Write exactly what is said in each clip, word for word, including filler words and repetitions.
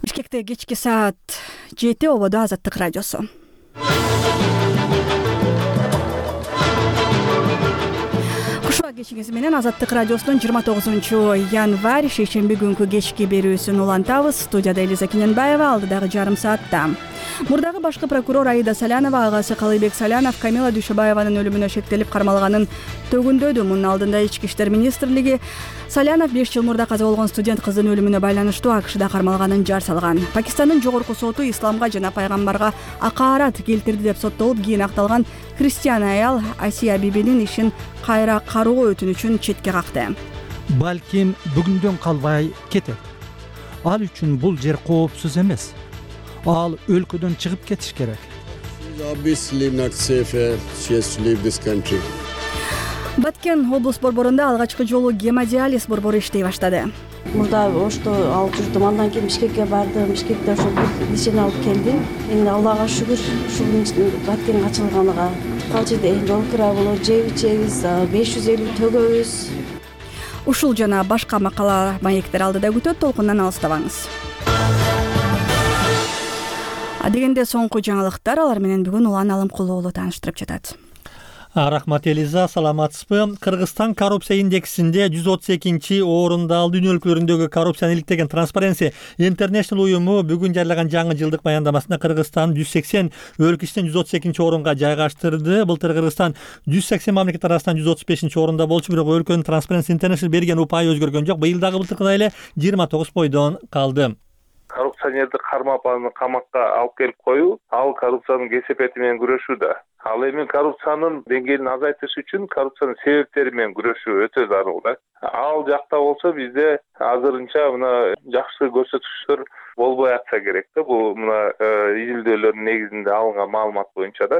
Бишкекте кечки саат жети, ободо Азаттык радиосу. Кушуа кечиңиз менен Азаттык радиосунун жыйырма тогузунчу январь шейшемби күнкү кечки берүүсүн улантабыз. Студияда Элиза Кененбаева, алдыдагы жарым саатта. Мурдагы башкы прокурор Аида Салянова агасы Калыйбек Салянов Камила Дүйшөбаеванын өлүмүнө шектелип кармалганын төгүндөдү. Мунун алдында Ички иштер министрлиги Салянов беш жыл мурда каза болгон студент кыздын өлүмүнө байланыштуу АКШда кармалганын жар салган. Пакистандын жогорку соту исламга жана пайгамбарга акаарат келтирди деп соттолуп, кийин акталган христиан аял Асия бибинин ишин кайра кароо өтүнүчүн четке какты. Балким бүгүндөн калбай кетет. Ал үчүн бул жер коопсуз эмес. Ал өлкөдөн чыгып кетиш керек. Баткен облус борборунда алгачкы жолу гемодиализ борбору иштей баштады. Мурда ошто алып жүрдүм, андан кийин Бишкекке бардым. Бишкекте ошо бир лечение алып келдим. Эми Аллага шүгүр, ушунун Баткен ачылганыга. Ал жерде жол кира болот, жеп ичебиз, беш жүз элүү төгөбүз. Ушул жана башка макала маектер алдыда күтөт, толкундан алыстабаңыз. Адегенде соңку жаңылыктар, алар менен бүгүн Улан Алымкулуу уулу тааныштырып жатат. Рахмат Элиза, саламатсызбы? Кыргызстан коррупция индексинде жүз отуз экинчи орунда алды. Дүйнө өлкөлөрүндөгү коррупцияны иликтеген Transparency International уюму бүгүн жарыяган жаңы жылдык баяндамасында Кыргызстан жүз сексен өлкө ичинен жүз отуз экинчи орунга жайгаштырды. Былтыр Кыргызстан жүз сексен мамлекет арасынан жүз отуз бешинчи орунда болчу, бирок өлкөнүн Transparency International берген упайы өзгөргөн жок. Быйыл дагы былтыркыдай эле жыйырма тогуз бойдон калды. Коррупционерди кармап аны камакка алып келип коюу, ал коррупциянын кесепети менен күрөшүү да. Ал эми коррупциянын деңгээлин азайтыш үчүн коррупциянын себептери менен күрөшүү өтө зарыл да. Ал жакта болсо бизде азырынча мына жакшы көрсөтүктөр болбой атса керек да. Бул мына изилдөөлөрдүн негизинде алынган маалымат боюнча да.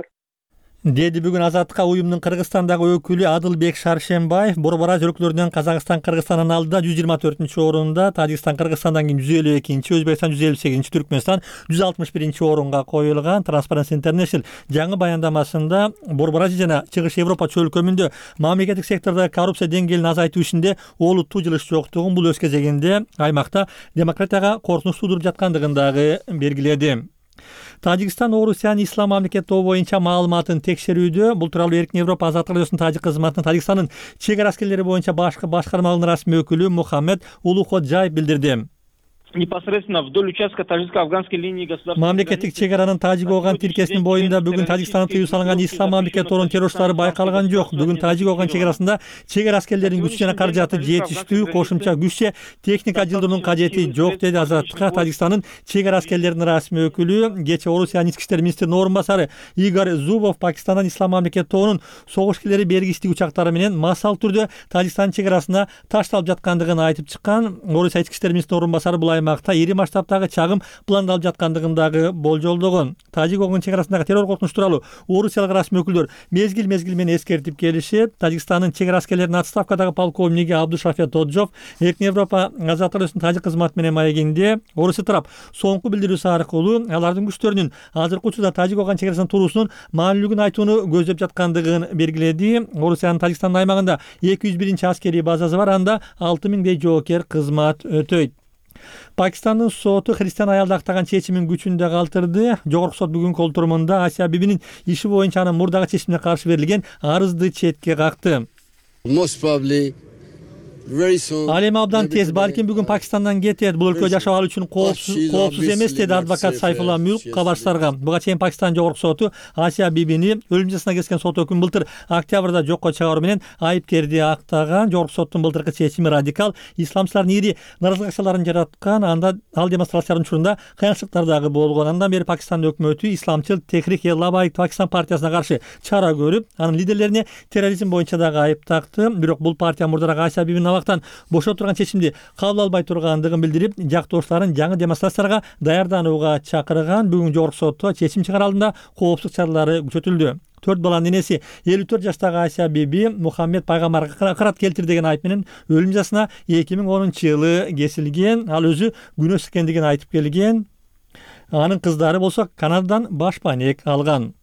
Деди бүгүн Азаттыкка уюмдун Кыргызстандагы өкүлү Адылбек Шаршембаев. Борбор Азия өлкөлөрүнөн Казакстан Кыргызстандан алдыда жүз жыйырма төртүнчү орунда, Тажикстан Кыргызстандан кийин жүз элүү экинчи, Өзбекстан жүз элүү сегизинчи, Түркмөнстан жүз алтымыш биринчи орунга коюлган. Transparency International жаңы баяндамасында Борбор Азия жана Чыгыш Европа чөлкөмүндө мамлекеттик сектордогу коррупция деңгээлин азайтуу ишинде олуттуу жылыш жоктугун, бул өз кезегинде аймакта демократияга коркунуч туудуруп жаткандыгын дагы белгиледи. Тажикстан Орусияны ислам мамлекети боюнча маалыматын текшерүүдө. Бул тууралуу Эркин Европа Азаттык радиосунун тажик кызматынын Тажикстандын чек ара аскерлери боюнча башкы башкармалыгынын расмий өкүлү Мухаммед Улуходжаев билдирди. Непосредственно вдоль участка тажикско-афганской линии государственной мамлекеттик чек аранын Тажик-Оган тиркесинин боюнда бүгүн Тажикстанда тыюу салынган ислам мамлекети торунун террорчулары байкалган жок. Бүгүн Тажик-Оган чек арасында чек ара аскерлеринин күчү жана каражаты жетиштүү, кошумча күч же техника жылдыруунун кажети жок, деди Азаттыкка Тажикстандын чек ара аскерлеринин расмий өкүлү. Кечээ Орусиянын ички иштер министринин орун басары Игорь Зубов Пакистандан ислам мамлекети торунун согуш килери бергичтик учактары менен массалык түрдө Тажикстандын чек арасына ташталып жаткандыгын айтып чыккан. Орусия ички иштер министринин орун басары бул аймакта ири масштабтагы чагым пландалып жаткандыгын дагы болжолдогон. Тажик-Оган чек арасындагы террор коркунучу тууралуу орусиялык расмий өкүлдөр мезгил мезгил менен эскертип келишип, Тажикстандын чек ара аскерлеринин отставкадагы полковниги Абдушафет Тоджов Эркин Европа Азаттык радиосунун тажик кызматы менен маегинде Орусия тарап соңку билдирүүсү аркылуу алардын күчтөрүнүн азыркы учурда Тажик-Оган чек арасынын туруусунун маанилүүлүгүн айтууну көздөп жаткандыгын белгиледи. Орусиянын Тажикстандын аймагында эки жүз биринчи аскерий базасы бар, анда алты миңдей жоокер кызмат өтөйт. Пакистандын соту христиан аялды актаган чечимин күчүндө калтырды. Жогорку сот бүгүнкү олтурумунда Асия бибинин иши боюнча анын мурдагы чечимине каршы берилген арызды четке какты. Ал эми абдан тез, балким бүгүн Пакистандан кетет. Бул өлкөдө жашоо ал үчүн коопсуз коопсуз эмес, деди адвокат Сайфулла Мюлк кабарчыларга. Буга чейин Пакистан жогорку соту Асия бибини өлүм жазасына кескен сот өкүмүн былтыр октябрда жокко чыгаруу менен айыпкерди актаган. Жогорку соттун былтыркы чечими радикал исламчылардын ири наразылык акчаларын жараткан. Анда ал демонстрациялардын учурунда кыянчылыктар дагы болгон. Андан бери Пакистан өкмөтү исламчыл Техрик-e-Labbaik Пакистан партиясына каршы чара көрүп, анын лидерлерине терроризм боюнча дагы айып такты. Бирок бул партия мурдараак Асия бибинин абактан бошо турган чечимди кабыл албай тургандыгын билдирип, жактоошуларын жаңы демонстрацияларга даярданууга чакырган. Бүгүн жогорку сотто чечим чыгар алдында коопсуздук чаралары күчөтүлдү. Төрт баланын энеси элүү төрт жаштагы Асия биби Мухаммед пайгамбарга акырат келтирди деген айып менен өлүм жазасына эки миң онунчу жылы кесилген. Ал өзү күнөөсүз экендигин айтып келген. Анын кыздары болсо Канададан башпанек алган.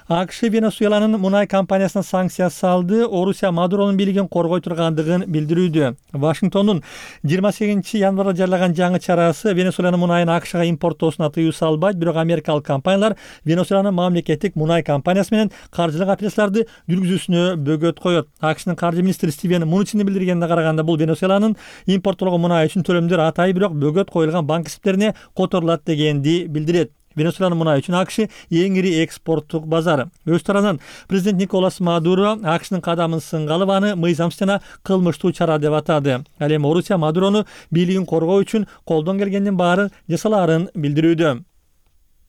АКШ Венесуэланын мунай компаниясына санкция салды. Орусия Мадуронун бийлигин коргой тургандыгын билдирүүдө. Вашингтондун жыйырма сегизинчи январда жарыяган жаңы чарасы Венесуэланын мунайын АКШга импорттоосуна тыюу салбайт, бирок америкалык компаниялар Венесуэланын мамлекеттик мунай компаниясы менен каржылык операцияларды жүргүзүүсүнө бөгөт коет. АКШнын каржы министри Стивен Муничиндин билдиргенине караганда, бул Венесуэланын импорттолгон мунай үчүн төлөмдөр атайы, бирок бөгөт коюлган банк эсептерине которулат дегенди билдирет. Венесуэланын мунай үчүн АКШ эң ири экспорттук базар. Өз тарабынан президент Николас Мадуро АКШнын кадамын сынга алып, аны мыйзамсыз жана кылмыштуу чара деп атады. Ал эми Орусия Мадурону бийлигин коргоо үчүн колдон келгендин баары жасалаарын билдирүүдө.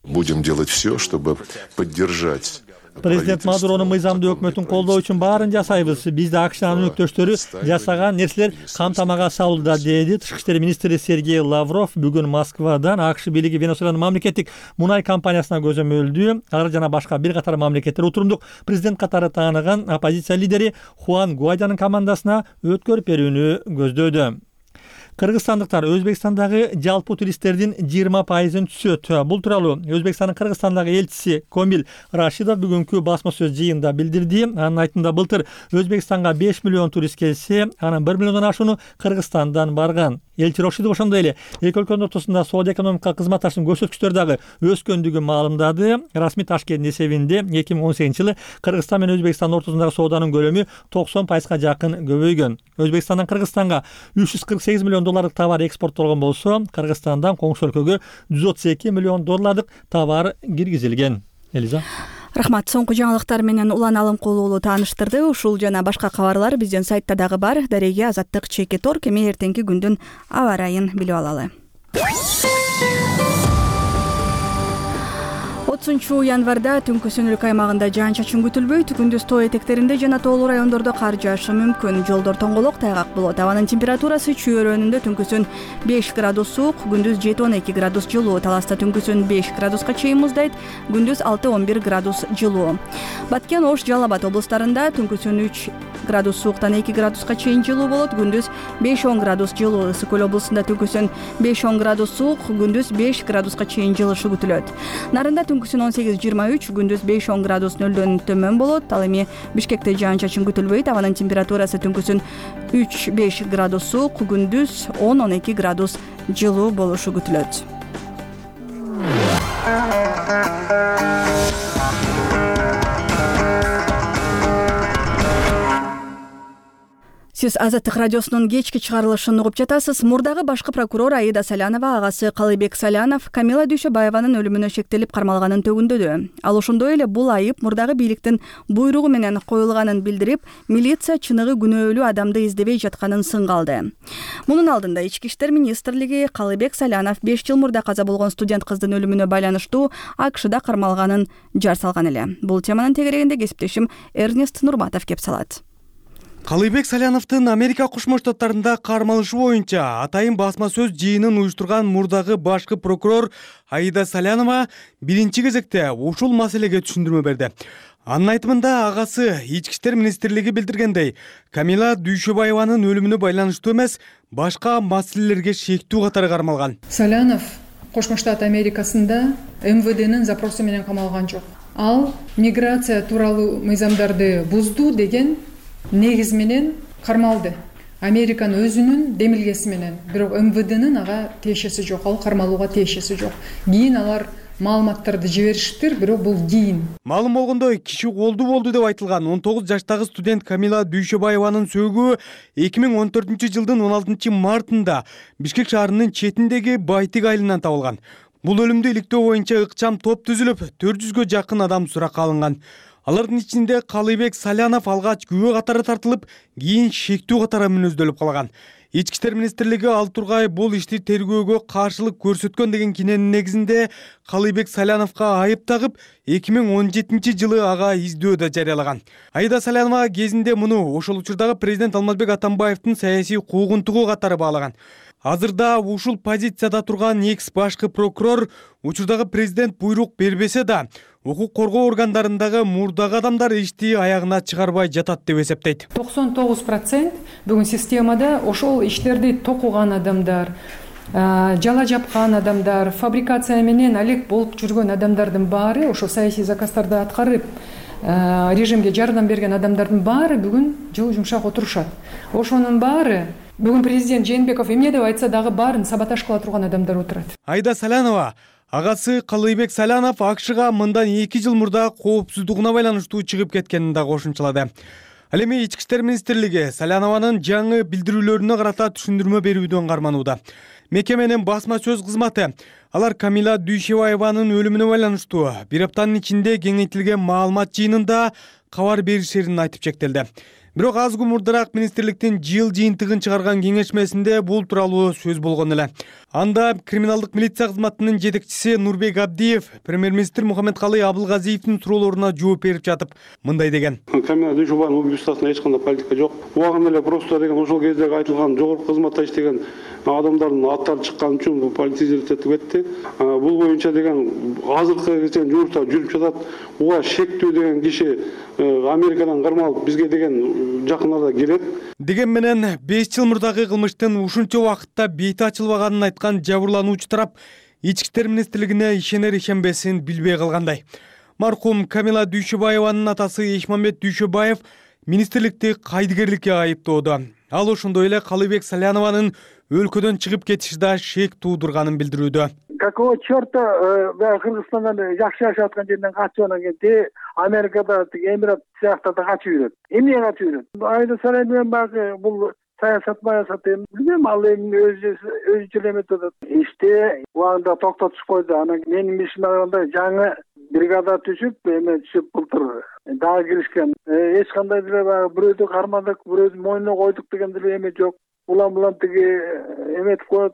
Будем делать все, чтобы поддержать. Президент Мадуронун мыйзамдуу өкмөтүн колдоо үчүн баарын жасайбыз. Бизде АКШнын өнөктөштөрү жасаган нерселер камтамага салууда, деди Тышкы иштер министри Сергей Лавров бүгүн Москвадан. АКШ бийлиги Венесуэланын мамлекеттик мунай компаниясына көзөмөлдүү. Алар жана башка бир катар мамлекеттер утурумдук президент катары тааныган оппозиция лидери Хуан Гуайдонун командасына өткөрүп берүүнү көздөдү. Кыргызстандыктар Өзбекстандагы жалпы туристтердин жыйырма пайызын түзөт. Бул тууралуу Өзбекстандын Кыргызстандагы элчиси Комил Рашидов бүгүнкү басма сөз жыйынында билдирди. Анын айтымында, былтыр Өзбекстанга беш миллион турист келсе, анын бир миллиондон ашууну Кыргызстандан барган. Элчи Рашидов ошондой эле эки өлкөнүн ортосунда соода экономикалык кызматташтыктын көрсөткүчтөрү дагы өскөндүгүн маалымдады. Расмий Ташкенттин эсебинде эки миң он сегизинчи жылы Кыргызстан менен Өзбекстандын ортосундагы сооданын көлөмү токсон пайызга жакын көбөйгөн. Өзбекстандан Кыргызстанга үч жүз кырк сегиз миллион долларлык товар экспорттолгон болсо, Кыргызстандан коңшу өлкөгө жүз отуз эки миллион долларлык товар киргизилген. Элиза. Рахмат. Соңку жаңылыктар менен Улан Алымкулуу тааныштырды. Ушул жана башка кабарлар биздин сайтта дагы бар. Дареге Азаттык чекит орг. Эми эртеңки күндүн аба ырайын билип алалы. отузунчу январда түнкү-сөнүлүк аймагында жаан-чачын күтүлбөйт. Күндүз тоо этектеринде жана тоолуу райондордо кар жаашы мүмкүн. Жолдор тоңголок, тайгак болот. Абанын температурасы чүйөрөнүндө түнкүсүн беш градус суук, күндүз жети он эки градус жылуу. Таласта түнкүсүн беш градуска чейин муздайт, күндүз алты он бир градус жылуу. Баткен, Ош, Жалал Абад облустарында түнкүсүн үч градус сууктан эки градуска чейин жылуу болот, күндүз беш он градус жылуу. Ысык Көл облусунда түнкүсүн беш он градус суук, күндүз беш градуска чейин жылышы күтүлөт. Нарында түнкүсүн он сегиз жыйырма үч, күндүз беш он градус нөлдөн төмөн болот. Ал эми Бишкекте жаан-чачын күтүлбөйт. Абанын температурасы түнкүсүн үч беш градус суук, күндүз он он эки градус жылуу болушу күтүлөт. Сиз Азаттык радиосунун кечки чыгарылышын угуп жатасыз. Мурдагы башкы прокурор Аида Салянова агасы Калыбек Салянов Камила Дүйшөбаеванын өлүмүнө шектелип кармалганын төгүндөдү. Ал ошондой эле бул айып мурдагы бийликтин буйругу менен коюлганын билдирип, милиция чыныгы күнөөлүү адамды издебей жатканын сынга алды. Мунун алдында Ички иштер министрлиги Калыбек Салянов беш жыл мурда каза болгон студент кыздын өлүмүнө байланыштуу АКШда кармалганын жар салган эле. Бул теманын тегерегинде кесиптешим Эрнест Нурматов кеп салат. Калыбек Саляновдун Америка Кошмо Штаттарында кармалышы боюнча атайын басма сөз жыйынын уюштурган мурдагы башкы прокурор Аида Салянова биринчи кезекте ушул маселеге түшүндүрмө берди. Анын айтымында агасы Ички иштер министрлиги билдиргендей, Камила Дүйшөбаеванын өлүмүнө байланыштуу эмес, башка маселелерге шектүү катары кармалган. Салянов Кошмо Штат Америкасында эм вэ дэнин запросу менен камалган жок. Ал миграция тууралуу мыйзамдарды бузду деген негиз менен кармалды. Американын өзүнүн демилгеси менен, бирок эм вэ дэнин ага тиешеси жок, ал кармалууга тиешеси жок. Кийин алар маалыматтарды жибериштир, бирок бул кийин. Маалым болгондой, киши колду болду деп айтылган он тогуз жаштагы студент Камила Дүйшөбаеванын сөөгү эки миң он төртүнчү жылдын он алтынчы мартында Бишкек шаарынын четиндеги Байтик айылынан табылган. Бул өлүмдү иликтөө боюнча ыкчам топ түзүлүп, төрт жүзгө жакын адам суракка алынган. Алардын ичинде Калыбек Салянов алгач күбө катары тартылып, кийин шектүү катары мүнөздөлүп калган. Ички иштер министрлиги ал тургай бул ишти тергөөгө каршылык көрсөткөн деген киненин негизинде Калыбек Саляновго айып тагып, эки миң он жетинчи жылы ага издөө да жарыялаган. Аида Салянова кезинде муну ошол учурдагы президент Алмазбек Атамбаевдин саясий куугунтугу катары баалаган. Азырда ушул позицияда турган экс башкы прокурор учурдагы президент буйрук бербесе да, укук коргоо органдарындагы мурдагы адамдар ишти аягына чыгарбай жатат деп эсептейт. токсон тогуз процент бүгүн системада ошол иштерди токуган адамдар, жала жапкан адамдар, фабрикация менен алек болуп жүргөн адамдардын баары, ошо саясий заказдарды аткарып режимге жардам берген адамдардын баары бүгүн жылы жумшак отурушат. Ошонун баары бүгүн президент Жээнбеков эмне деп айтса дагы баарын саботаж кыла турган адамдар отурат. Айда Салянова агасы Калыйбек Салянов АКШга мындан эки жыл мурда коопсуздугуна байланыштуу чыгып кеткенин да кошумчалады. Ал эми Ички иштер министрлиги Салянованын жаңы билдирүүлөрүнө карата түшүндүрмө берүүдөн карманууда. Мекеменин басма сөз кызматы алар Камила Дүйшөбаеванын өлүмүнө байланыштуу бир аптанын ичинде кеңейтилген маалымат жыйынында кабар беришерин айтып чектелди. Бирок аз күн мурдараак министрликтин жыл жыйынтыгын чыгарган кеңешмесинде бул тууралуу сөз болгон эле. Анда криминалдык милиция кызматынын жетекчиси Нурбек Абдиев премьер-министр Мухаммедкалый Абылгазиевдин суроолоруна жооп берип жатып мындай деген. Камила Дүйшөбаеванын убийствосуна эч кандай политика жок. Убагында эле просто деген ошол кездеги айтылган жогорку кызматта иштеген адамдардын аттары чыккан үчүн бул политизировать этип кетти. Бул боюнча деген азыркы кезде жумушта жүрүп жатат. Буга шектүү деген киши Америкадан кармалып бизге деген жакын арада келет. Деген менен беш жыл мурдагы кылмыштын ушунча убакытта бети ачылбаганын айткан жабырлануучу тарап Ички иштер министрлигине ишенер ишенбесин билбей калгандай. Маркум Камила Дүйшөбаеванын атасы Эшмамбет Дүйшөбаев министрликти кайдыгерликке айыптоодо. Ал ошондой эле Калыйбек Салянованын өлкөдөн чыгып кетиши да шек туудурганын билдирүүдө. Какого черта Кыргызстандан жакшы жашап аткан жерден качып анан келди, Америкада Эмират сыяктарда качып жүрөт. Эмне качып жүрөт? Айда Салянов багы бул саясат баясат билбейм, ал эми өзүнчө эметип атат. Иште убагында токтотуп койду. Анан менин ишиме караганда жаңы бригада түшүп, эме түшүп былтыр дагы киришкен. Эч кандай деле баягы бирөөдү кармадык, бирөөдү мойнуна койдук деген деле эме жок. Улам улам тиги эметип коет.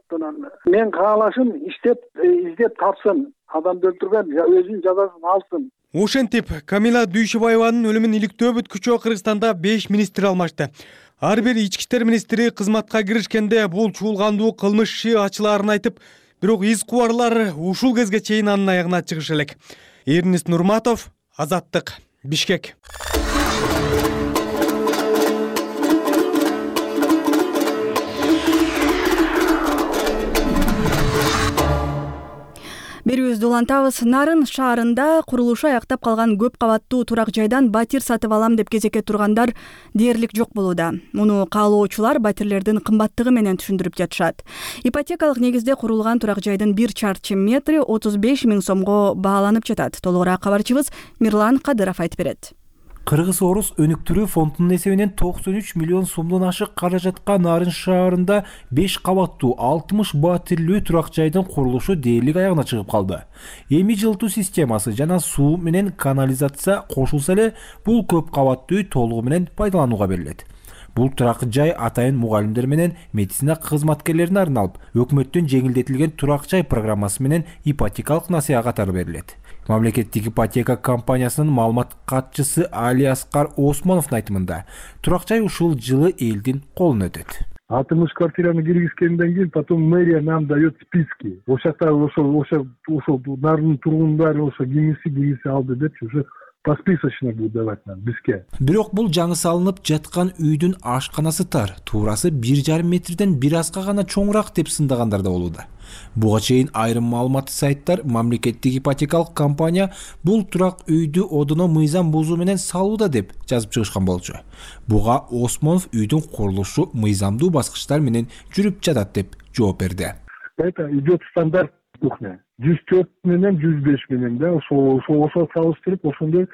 Мен каалашым иштеп, издеп тапсын. Адамды өлтүргөн өзүнүн жазасын алсын. Ошентип, Камила Дүйшөбаеванын өлүмүн иликтөө бүткүчө Кыргызстанда беш министр алмашты. Ар бир ички иштер министри кызматка киришкенде бул чуулгандуу кылмыш иши ачылаарын айтып, бирок из кубарлар ушул кезге чейин анын аягына чыгыш элек. Эрнис Нурматов, Азаттык, Бишкек. Берүүбүздү улантабыз. Нарын шаарында курулушу аяктап калган көп кабаттуу турак жайдан батир сатып алам деп кезекке тургандар дээрлик жок болууда. Муну каалоочулар батирлердин кымбаттыгы менен түшүндүрүп жатышат. Ипотекалык негизде курулган турак жайдын бир чарчы метри отуз беш миң сомго бааланып жатат. Толугураак кабарчыбыз Мирлан Кадыров айтып берет. Кыргыз Орус өнүктүрүү фондунун эсебинен токсон үч миллион сомдон ашык каражатка Нарын шаарында беш кабаттуу алтымыш батирлүү турак жайдын курулушу дээрлик аягына чыгып калды. Эми жылытуу системасы жана суу менен канализация кошулса эле бул көп кабаттуу үй толугу менен пайдаланууга берилет. Бул турак жай атайын мугалимдер менен медицина кызматкерлерине арналып, өкмөттүн жеңилдетилген турак жай программасы менен ипотекалык насыя катары берилет. Мамлекеттик ипотека компаниясынын маалымат катчысы Али Аскар Осмоновдун айтымында, турак жай ушул жылы элдин колуна өтөт. алтымыш квартираны киргизгенден кийин потом мэрия нам дает списки. Ошакта ошол ошол ошол нардын тургундары ошо кимиси кимиси алды депчи уже посписочно будет давать нам бизге. Бирок бул жаңы салынып жаткан үйдүн ашканасы тар, туурасы бир жарым метрден бир азга гана чоңураак деп сындагандар да болууда. Буга чейин айрым маалыматтык сайттар мамлекеттик ипотекалык компания бул турак үйдү одоно мыйзам бузуу менен салууда деп жазып чыгышкан болчу. Буга Осмонов үйдүн курулушу мыйзамдуу баскычтар менен жүрүп жатат деп жооп берди. Это идет стандарт кухня. жүз төрт менен жүз беш менен да ошол ошол салыштырып ошондой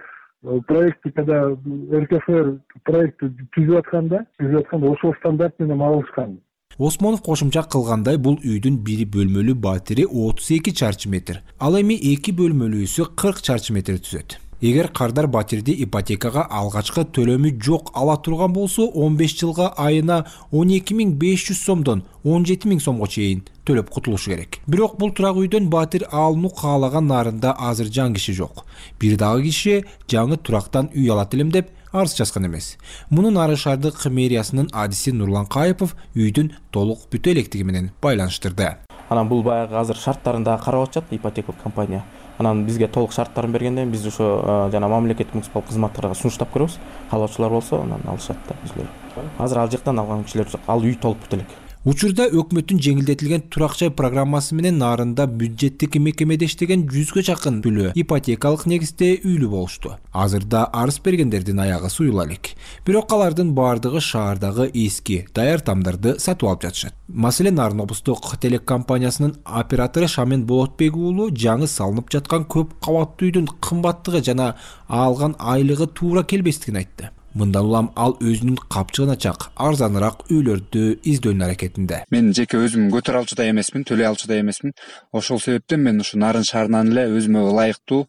проекти когда эр ка эф эр проектти түзүп атканда түзүп атканда ошол стандарт менен алышкан. Осмонов кошумча кылгандай бул үйдүн бир бөлмөлүү батири отуз эки чарчы метр. Ал эми эки бөлмөлүүсү кырк чарчы метр түзөт. Эгер кардар батирди ипотекага алгачкы төлөмү жок ала турган болсо он беш жылга айына он эки миң беш жүз сомдон он жети миң сомго чейин төлөп кутулушу керек. Бирок бул турак үйдөн батир алууну каалаган нарында азыр жан киши жок. Бир дагы киши жаңы турактан үй алат элем деп арыз жазган эмес. Муну Нарын шаардык мэриясынын адиси Нурлан Кайыпов үйдүн толук бүтө электиги менен байланыштырды. Анан бул баягы азыр шарттарында карап атышат ипотекалык компания. Анан бизге толук шарттарын бергенден биз ошо жана мамлекеттик муниципалдык кызматтарга сунуштап көрөбүз. Каалоочулар болсо анан алышат да бизлер. Азыр ал жактан алган кишилер жок. Ал үй толуп бүт элек. Учурда өкмөттүн жеңилдетилген турак жай программасы менен нарында бюджеттик мекемеде иштеген жүзгө жакын түлөө ипотекалык негизде үйлүү болушту. Азырда арыз бергендердин аягы суюла элек. Бирок алардын бардыгы шаардагы эски даяр тамдарды сатып алып жатышат. Маселен, Нарын облустук телекомпаниясынын оператору Шамен Болотбек уулу жаңы салынып жаткан көп кабаттуу үйдүн кымбаттыгы жана алган айлыгы туура келбестигин айтты. Мындан улам ал өзүнүн капчыгына чак арзаныраак үйлөрдү издөөнүн аракетинде. Мен жеке өзүм көтөрө алчу да эмесмин, төлөй алчу да эмесмин. Ошол себептен мен ушу Нарын шаарынан эле өзүмө ылайыктуу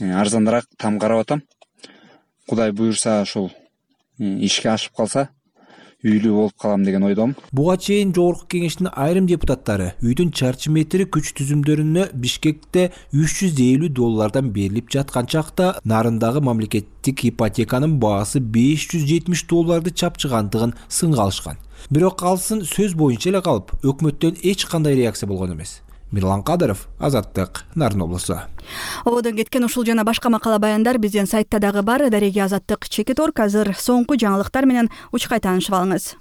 арзаныраак там карап атам. Кудай буюрса ошол ишке ашып калса, үйлүү болуп калам деген ойдомун. Буга чейин жогорку кеңештин айрым депутаттары үйдүн чарчы метри күч түзүмдөрүнө Бишкекте үч жүз элүү доллардан берилип жаткан чакта Нарындагы мамлекеттик ипотеканын баасы беш жүз жетимиш долларды чапчыгандыгын сынга алышкан. Бирок алсын сөз боюнча эле калып, өкмөттөн эч кандай реакция болгон эмес. Мирлан Кадыров, Азаттык, Нарын облусу. Ободон кеткен ушул жана башка макала баяндар биздин сайтта дагы бар. Дареги Азаттык чекит орг. Азыр соңку жаңылыктар менен учкай таанышып алыңыз.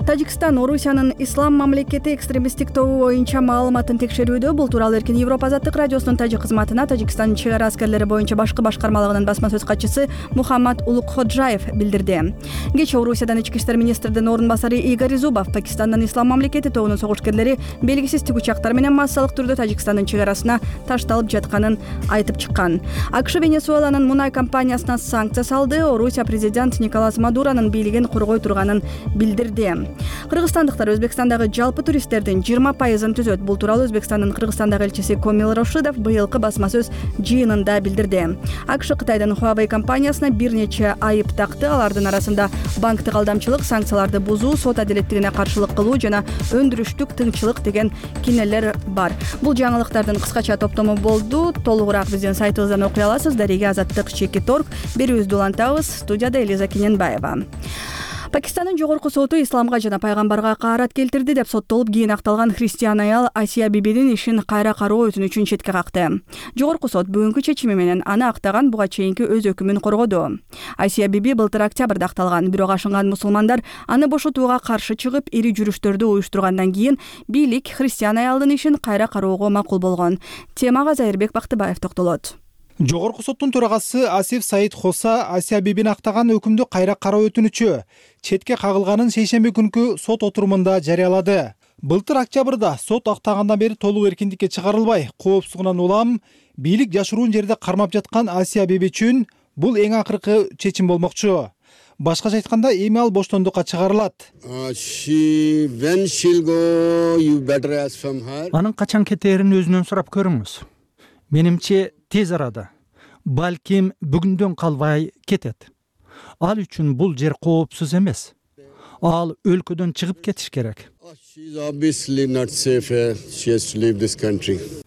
Тажикстан Орусиянын ислам мамлекети экстремисттик тобу боюнча маалыматын текшерүүдө. Бул тууралуу Эркин Европа азаттык радиосунун тажик кызматына Тажикстандын чек ара аскерлери боюнча башкы башкармалыгынын басма сөз катчысы Мухаммад Улукходжаев билдирди. Кечээ Орусиядан ички иштер министринин орун басары Игорь Зубов Пакистандын ислам мамлекети тобунун согушкерлери белгисиз тигучактар менен массалык түрдө Тажикстандын чек арасына ташталып жатканын айтып чыккан. АКШ Венесуэланын мунай компаниясына санкция салды. Орусия президент Николас Мадуронун бийлигин коргой турганын билдирди. Кыргызстандыктар Өзбекстандагы жалпы туристтердин жыйырма пайызын түзөт. Бул тууралуу Өзбекстандын Кыргызстандагы элчиси Комил Рошидов быйылкы басма сөз жыйынында билдирди. АКШ Кытайдын Huawei компаниясына бир нече айып такты. Алардын арасында банктык алдамчылык, санкцияларды бузуу, сот адилеттигине каршылык кылуу жана өндүрүштүк тыңчылык деген кинелер бар. Бул жаңылыктардын кыскача топтому болду. Толугураак биздин сайтыбыздан окуй аласыз. Дареги Азаттык чекит орг. Берүүбүздү улантабыз. Студияда Элиза Кененбаева. Пакистандын жогорку соту исламга жана пайгамбарга каарат келтирди деп соттолуп кийин акталган христиан аял Асия Бибинин ишин кайра кароо өтүнүчүн четке какты. Жогорку сот бүгүнкү чечими менен аны актаган, буга чейинки өз өкүмүн коргоду. Асия Биби былтыр октябрда акталган, бирок ашынган мусулмандар аны бошотууга каршы чыгып, ири жүрүштөрдү уюштургандан кийин бийлик христиан аялдын ишин кайра кароого макул болгон. Темага Зайырбек Бактыбаев токтолот. Жогорку соттун төрагасы Асиф Саид Хоса Асия Бибин актаган өкүмдү кайра кароо өтүнүчү четке кагылганын шейшемби күнкү сот отурумунда жарыялады. Былтыр октябрда сот актагандан бери толук эркиндикке чыгарылбай, коопсугунан улам бийлик жашыруун жерде кармап жаткан Асия Биби үчүн бул эң акыркы чечим болмокчу. Башкача айтканда, эми ал боштондукка чыгарылат. Анын качан кетерин өзүнөн сурап көрүңүз. Менимче тез арада, балким бүгүндөн калбай кетет. Ал үчүн бул жер коопсуз эмес. Ал өлкөдөн чыгып кетиш керек.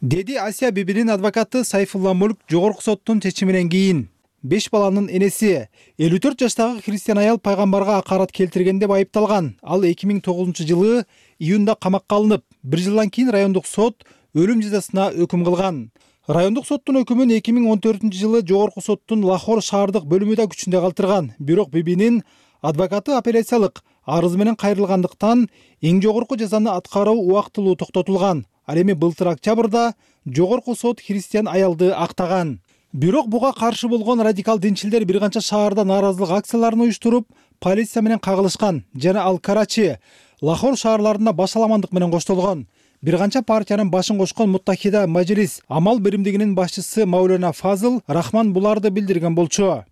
Деди Асия Бибинин адвокаты Сайфулла Мулк жогорку соттун чечиминен кийин. Беш баланын энеси элүү төрт жаштагы христиан аял пайгамбарга акарат келтирген деп айыпталган. Ал эки миң тогузунчу жылы июнда камакка алынып, бир жылдан кийин райондук сот өлүм жазасына өкүм кылган. Райондук соттун өкүмүн эки миң он төртүнчү жылы жогорку соттун Лахор шаардык бөлүмү да күчүндө калтырган. Бирок Бибинин адвокаты апелляциялык арыз менен кайрылгандыктан эң жогорку жазаны аткаруу убактылуу токтотулган. Ал эми былтыр октябрда жогорку сот христиан аялды актаган. Бирок буга каршы болгон радикал динчилдер бир канча шаарда нааразылык акцияларын уюштуруп, полиция менен кагылышкан жана ал Карачи, Лахор шаарларында башаламандык менен коштолгон. Бир канча партиянын башын кошкон Муттахида Majlis Амал биримдигинин башчысы Маулана Фазыл Рахман буларды билдирген болчу.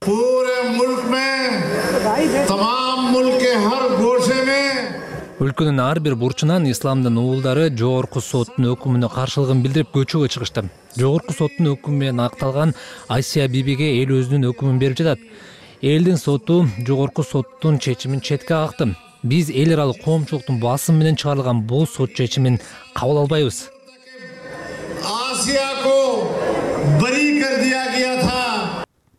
Өлкөнүн ар бир бурчунан исламдын уулдары жогорку соттун өкүмүнө каршылыгын билдирип көчөгө чыгышты. Жогорку соттун өкүмү менен акталган Асия Бибиге эл өзүнүн өкүмүн берип жатат. Элдин соту жогорку соттун чечимин четке какты. Биз эл аралык коомчулуктун басымы менен чыгарылган бул сот чечимин кабыл албайбыз.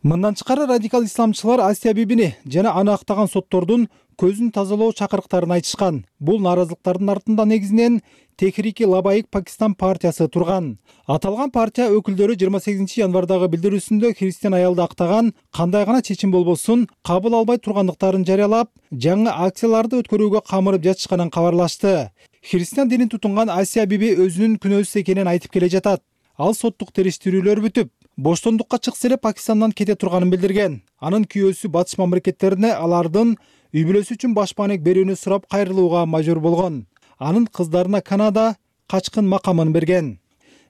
Мындан тышкары радикал исламчылар Асия Бибини жана аны актаган соттордун көзүн тазалоо чакырыктарын айтышкан. Бул нааразылыктардын артында негизинен Техрики Лабайык Пакистан партиясы турган. Аталган партия өкүлдөрү жыйырма сегизинчи январдагы билдирүүсүндө христиан аялды актаган кандай гана чечим болбосун кабыл албай тургандыктарын жарыялап, жаңы акцияларды өткөрүүгө камырып жатышканын кабарлашты. Христиан динин тутунган Асия Биби өзүнүн күнөөсүз экенин айтып келе жатат. Ал соттук териштирүүлөр бүтүп, боштондукка чыкса эле Пакистандан кете турганын билдирген. Анын күйөөсү Батыш мамлекеттерине алардын үй бүлөсү үчүн баш маанек берүүнү сурап кайрылууга мажбур болгон. Анын кыздарына Канада качкын макамын берген.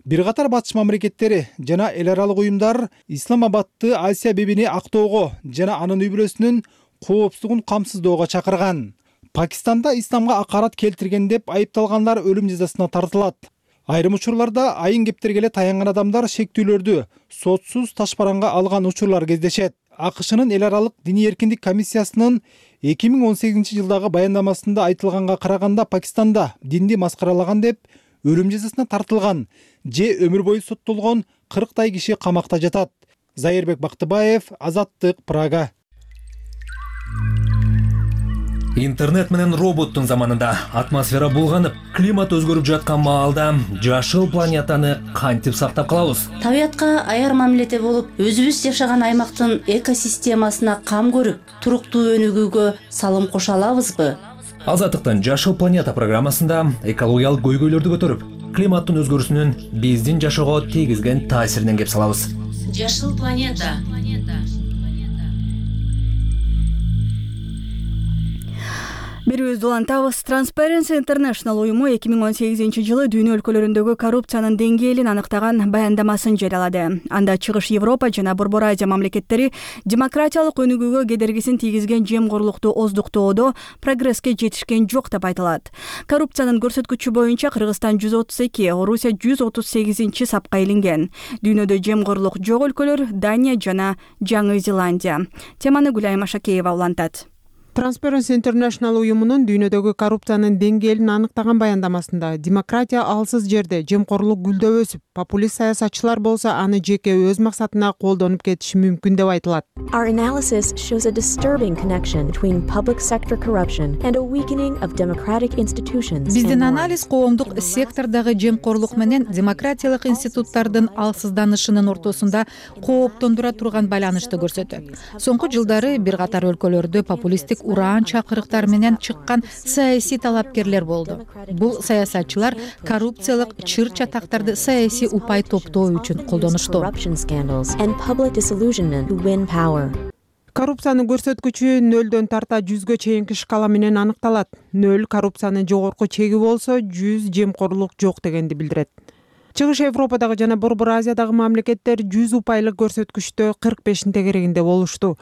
Бир катар Батыш мамлекеттери жана эл аралык уюмдар Исламабадты Асия Бибини актоого жана анын үй бүлөсүнүн коопсуздугун камсыздоого чакырган. Пакистанда исламга акарат келтирген деп айыпталгандар өлүм жазасына тартылат. Айрым учурларда айын кептерге эле таянган адамдар шектүүлөрдү сотсуз ташбаранга алган учурлар кездешет. АКШнын эл аралык диний эркиндик комиссиясынын эки миң он сегизинчи жылдагы баяндамасында айтылганга караганда Пакистанда динди маскаралаган деп өлүм жазасына тартылган же өмүр бою соттолгон кырктай киши камакта жатат. Зайырбек Бактыбаев, Азаттык, Прага. Интернет менен роботтун заманында атмосфера булганып, климат өзгөрүп жаткан маалда жашыл планетаны кантип сактап калабыз? Табиятка аяр мамиледе болуп, өзүбүз жашаган аймактын экосистемасына кам көрүп, туруктуу өнүгүүгө салым кошо алабызбы? Азаттыктын Жашыл планета программасында экологиялык көйгөйлөрдү көтөрүп, климаттын өзгөрүүсүнүн биздин жашоого тийгизген таасиринен кеп салабыз. Жашыл планета. Бирөөбүздү улантабыз. Transparency International уюму эки миң он сегизинчи жылы дүйнө өлкөлөрүндөгү коррупциянын деңгээлин аныктаган баяндамасын жарыялады. Анда Чыгыш Европа жана Борбор Азия мамлекеттери демократиялык өнүгүүгө кедергисин тийгизген жемкорлукту оздуктоодо прогресске жетишкен жок деп айтылат. Коррупциянын көрсөткүчү боюнча Кыргызстан жүз отуз эки, Орусия жүз отуз сегизинчи сапка илинген. Дүйнөдө жемкорлук жок өлкөлөр Дания жана Жаңы Зеландия. Теманы Гүлайым Ашакеева улантат. Transparency International уюмунун дүйнөдөгү коррупциянын деңгээлин аныктаган баяндамасында демократия алсыз жерде жемкорлук гүлдөп өсүп, популист саясатчылар болсо аны жеке өз максатына колдонуп кетиши мүмкүн деп айтылат. Our analysis shows a disturbing connection between public sector corruption and a weakening of democratic institutions. Биздин анализ коомдук сектордогу жемкорлук менен демократиялык институттардын алсызданышынын ортосунда кооптондура турган байланышты көрсөтөт. Соңку жылдары бир катар өлкөлөрдө популисттик ураан чакырыктар менен чыккан саясий талапкерлер болду. Бул саясатчылар коррупциялык чыр чатактарды саясий упай топтоо үчүн колдонушту. Коррупциянын көрсөткүчү нөлдөн тарта жүзгө чейинки шкала менен аныкталат. Нөл коррупциянын жогорку чеги болсо, жүз жемкорлук жок дегенди билдирет. Чыгыш Европадагы жана Борбор Азиядагы мамлекеттер жүз упайлык көрсөткүчтө кырк бештин тегерегинде болушту.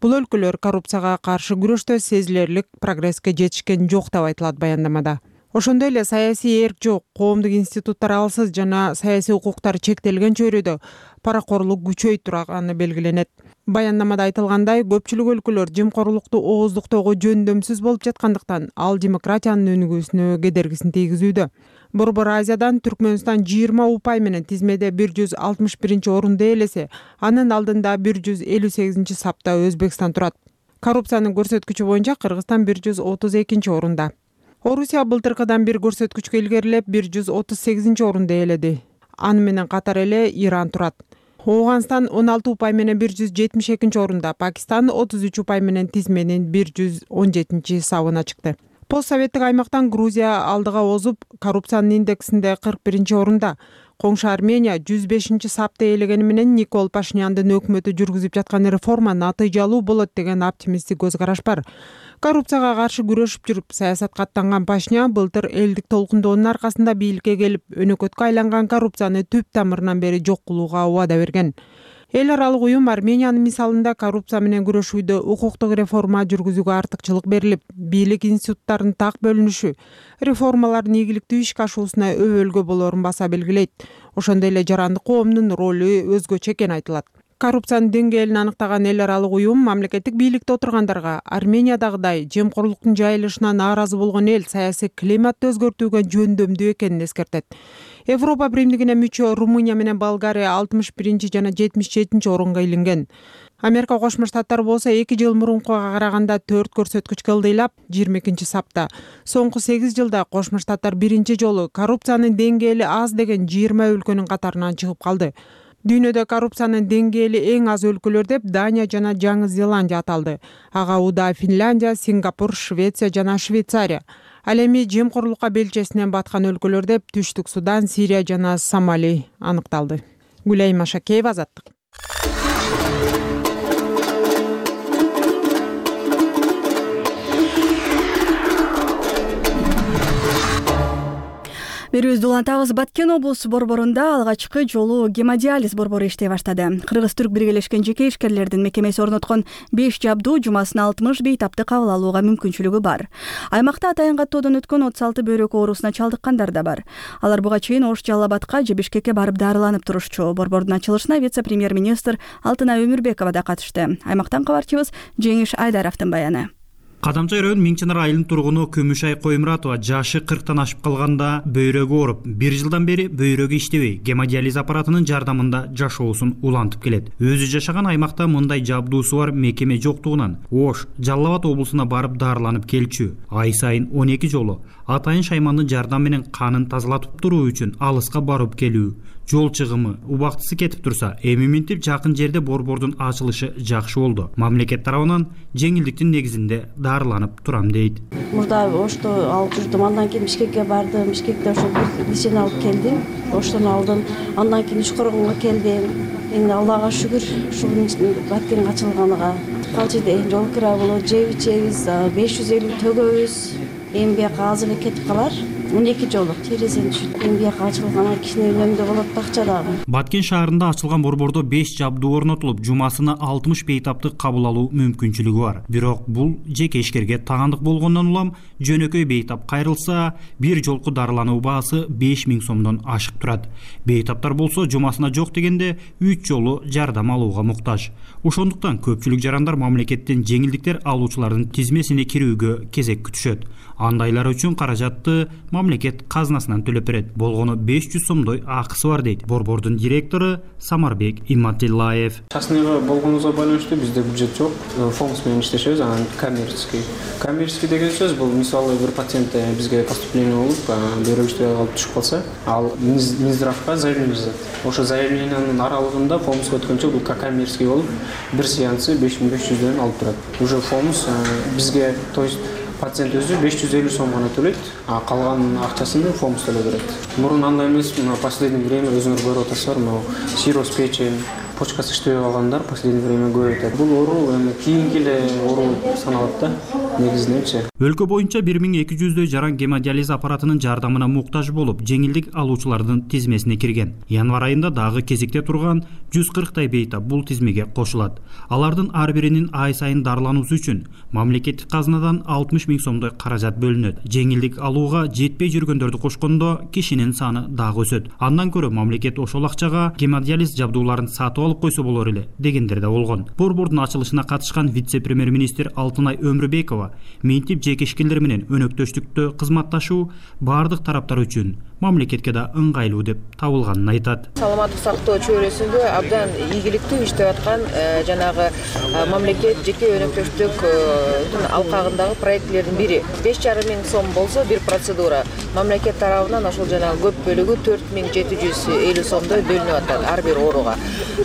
Бул өлкөлөр коррупцияга каршы күрөштө сезилерлик прогресске жетишкен жок деп айтылат баяндамада. Ошондой эле саясий эрк жок, коомдук институттар алсыз жана саясий укуктар чектелген чөйрөдө паракорлук күчөй турганы белгиленет. Баяндамада айтылгандай, көпчүлүк өлкөлөр жемкорлукту ооздуктоого жөндөмсүз болуп жаткандыктан, ал демократиянын өнүгүүсүнө кедергисин тийгизүүдө. Борбор Азиядан Түркмөнстан жыйырма упай менен тизмеде бир жүз алтымыш биринчи орунду ээлесе, анын алдында бир жүз элүү сегизинчи сапта Өзбекстан турат. Коррупциянын көрсөткүчү боюнча Кыргызстан бир жүз отуз экинчи орунда. Орусия былтыркыдан бир көрсөткүчкө илгерилеп бир жүз отуз сегизинчи орунду ээледи. Аны менен катар эле Иран турат. Ооганстан он алты упай менен бир жүз жетимиш экинчи орунда, Пакистан отуз үч упай менен тизменин бир жүз он жетинчи сабына чыкты. Постсоветтик аймактан Грузия алдыга озуп, коррупциянын индексинде кырк биринчи орунда. Коңшу Армения жүз бешинчи сапты ээлегени менен Никол Пашиняндын өкмөтү жүргүзүп жаткан реформа натыйжалуу болот деген оптимисттик көз караш бар. Коррупцияга каршы күрөшүп жүрүп, саясатка аттанган Пашинян былтыр элдик толкундоонун аркасында бийликке келип, өнөкөткө айланган коррупцияны түп тамырынан бери жок кылууга убада берген. Эл аралык уюм Армениянын мисалында коррупция менен күрөшүүдө укуктук реформа жүргүзүүгө артыкчылык берилип, бийлик институттарынын так бөлүнүшү, реформалардын ийгиликтүү ишке ашуусуна өбөлгө болоорун баса белгилейт. Ошондой эле жарандык коомдун ролу өзгөчө экени айтылат. Коррупциянын деңгээлин аныктаган эл аралык уюм мамлекеттик бийликте отургандарга Армениядагыдай жемкорлуктун жайылышына нааразы болгон эл саясий климатты өзгөртүүгө жөндөмдүү экенин эскертет. Европа биримдигине мүчө Румыния менен Болгария алтымыш биринчи жана жетимиш жетинчи орунга илинген. Америка Кошмо Штаттары болсо эки жыл мурункуга караганда төрт көрсөткүчкө ылдыйлап жыйырма экинчи сапта. Соңку сегиз жылда Кошмо Штаттар биринчи жолу коррупциянын деңгээли аз деген жыйырма өлкөнүн катарынан чыгып калды. Дүйнөдө коррупциянын деңгээли эң аз өлкөлөр деп Дания жана Жаңы Зеландия аталды. Ага Уда Финляндия, Сингапур, Швеция жана Швейцария. Ал эми жемкорлукка белчесинен баткан өлкөлөр деп Түштүк Судан, Сирия жана Сомали аныкталды. Гүлайым Машакеева, Азаттык. Берүүбүздү улантабыз. Баткен облусу борборунда алгачкы жолу гемодиализ борбору иштей баштады. Кыргыз-түрк биргелешкен жеке ишкерлердин мекемеси орноткон беш жабдуу жумасына алтымыш бейтапты кабыл алууга мүмкүнчүлүгү бар. Аймакта атайын каттоодон өткөн отуз алты бөйрөк оорусуна чалдыккандар да бар. Алар буга чейин Ош, Жалал Абадка же Бишкекке барып дарыланып турушчу. Борбордун ачылышына вице-премьер-министр Алтынай Өмүрбекова да катышты. Аймактан кабарчыбыз Жеңиш Айдаровдун баяны. Кадамчай район Миңчинар айылынын тургуну Көмүшай Коймуратова жашы кырктан ашып калганда бөйрөгү ооруп, бир жылдан бери бөйрөгү иштебей, гемодиализ аппаратынын жардамында жашоосун улантып келет. Өзү жашаган аймакта мындай жабдуусу бар мекеме жоктугунан Ош, Жалал Абад облусуна барып дарыланып келчү. Ай сайын он эки жолу атайын шаймандын жардамы менен канын тазалатып туруу үчүн алыска барып келүү, жол чыгымы убактысы кетип турса, эми минтип жакын жерде борбордун ачылышы жакшы болду. Мамлекет тарабынан жеңилдиктин негизинде дарыланып турам дейт. Мурда Ошто алып жүрдүм, андан кийин Бишкекке бардым. Бишкекте ошо бир лечение алып келдим. Оштон алдым. Андан кийин Ушкоргонго келдим. Эми Аллага шүгүр, ушунун Баткен ачылганыга. Ал жерде жол кира болот, жеп ичебиз, беш жүз элүү төгөбүз. Эми бияка азыр кетип калар. он эки жолу терезени түшүп, эми бияка ачылганга кичине үнөмдө болот да акча дагы. Баткен шаарында ачылган борбордо беш жабдуу орнотулуп, жумасына алтымыш бейтапты кабыл алуу мүмкүнчүлүгү бар. Бирок бул жеке ишкерге тагандык болгондон улам жөнөкөй бейтап кайрылса, бир жолку дарылануу баасы беш миң сомдон ашык турат. Бейтаптар болсо жумасына жок дегенде үч жолу жардам алууга муктаж. Ошондуктан көпчүлүк жарандар мамлекеттен жеңилдиктер алуучулардын тизмесине кирүүгө кезек күтүшөт. Андайлар үчүн каражатты мамлекет казынасынан төлөп берет. Болгону беш жүз сомдой акысы бар дейт борбордун директору Самарбек Иматиллаев. Частныйга болгонубузга байланыштуу бизде бюджет жок, фонд менен иштешебиз, анан коммерческий. Коммерческий деген сөз бул мисалы бир пациент бизге поступление болуп, бөйрөк иштебей калып түшүп калса, ал Минздравга заявление жазат. Ошо заявлениянын аралыгында фондга өткөнчө бул коммерческий болуп, бир сеансы беш миң беш жүздөн алып турат. Уже фонд бизге, то есть пациент өзү беш жүз элүү сом гана төлөйт, а калган акчасын фонд төлөп берет. Мурун андай эмес, мына последнее время өзүңөр көрүп атасыздар, мына сироз печень, почкасы иштебей калгандар последнее время көп өтөт. Бул оору эми кийинки эле оору саналат да, негизиненчи. Өлкө боюнча бир миң эки жүздөй жаран гемодиализ аппаратынын жардамына муктаж болуп, жеңилдик алуучулардын тизмесине кирген. Январь айында дагы кезекте турган жүз кырктай бейтап бул тизмеге кошулат. Алардын ар биринин ай сайын дарылануусу үчүн мамлекеттик казынадан алтымыш миң сомдой каражат бөлүнөт. Жеңилдик алууга жетпей жүргөндөрдү кошкондо кишинин саны дагы өсөт. Андан көрө мамлекет ошол акчага гемодиализ жабдууларын сатып алып койсо болор эле дегендер да болгон. Борбордун ачылышына катышкан вице-премьер-министр Алтынай Өмүрбекова минтип жеке ишкерлер менен өнөктөштүктө кызматташуу бардык тараптар үчүн мамлекетке да ыңгайлуу деп табылганын айтат. Саламаттык сактоо чөйрөсүндө абдан ийгиликтүү иштеп аткан жанагы мамлекет жеке өнөктөштүктүн алкагындагы проектлердин бири. беш жарым миң сом болсо бир процедура. Мамлекет тарабынан ошол жанагы көп бөлүгү төрт миң жети жүз элүү сомдой бөлүнүп атат ар бир ооруга.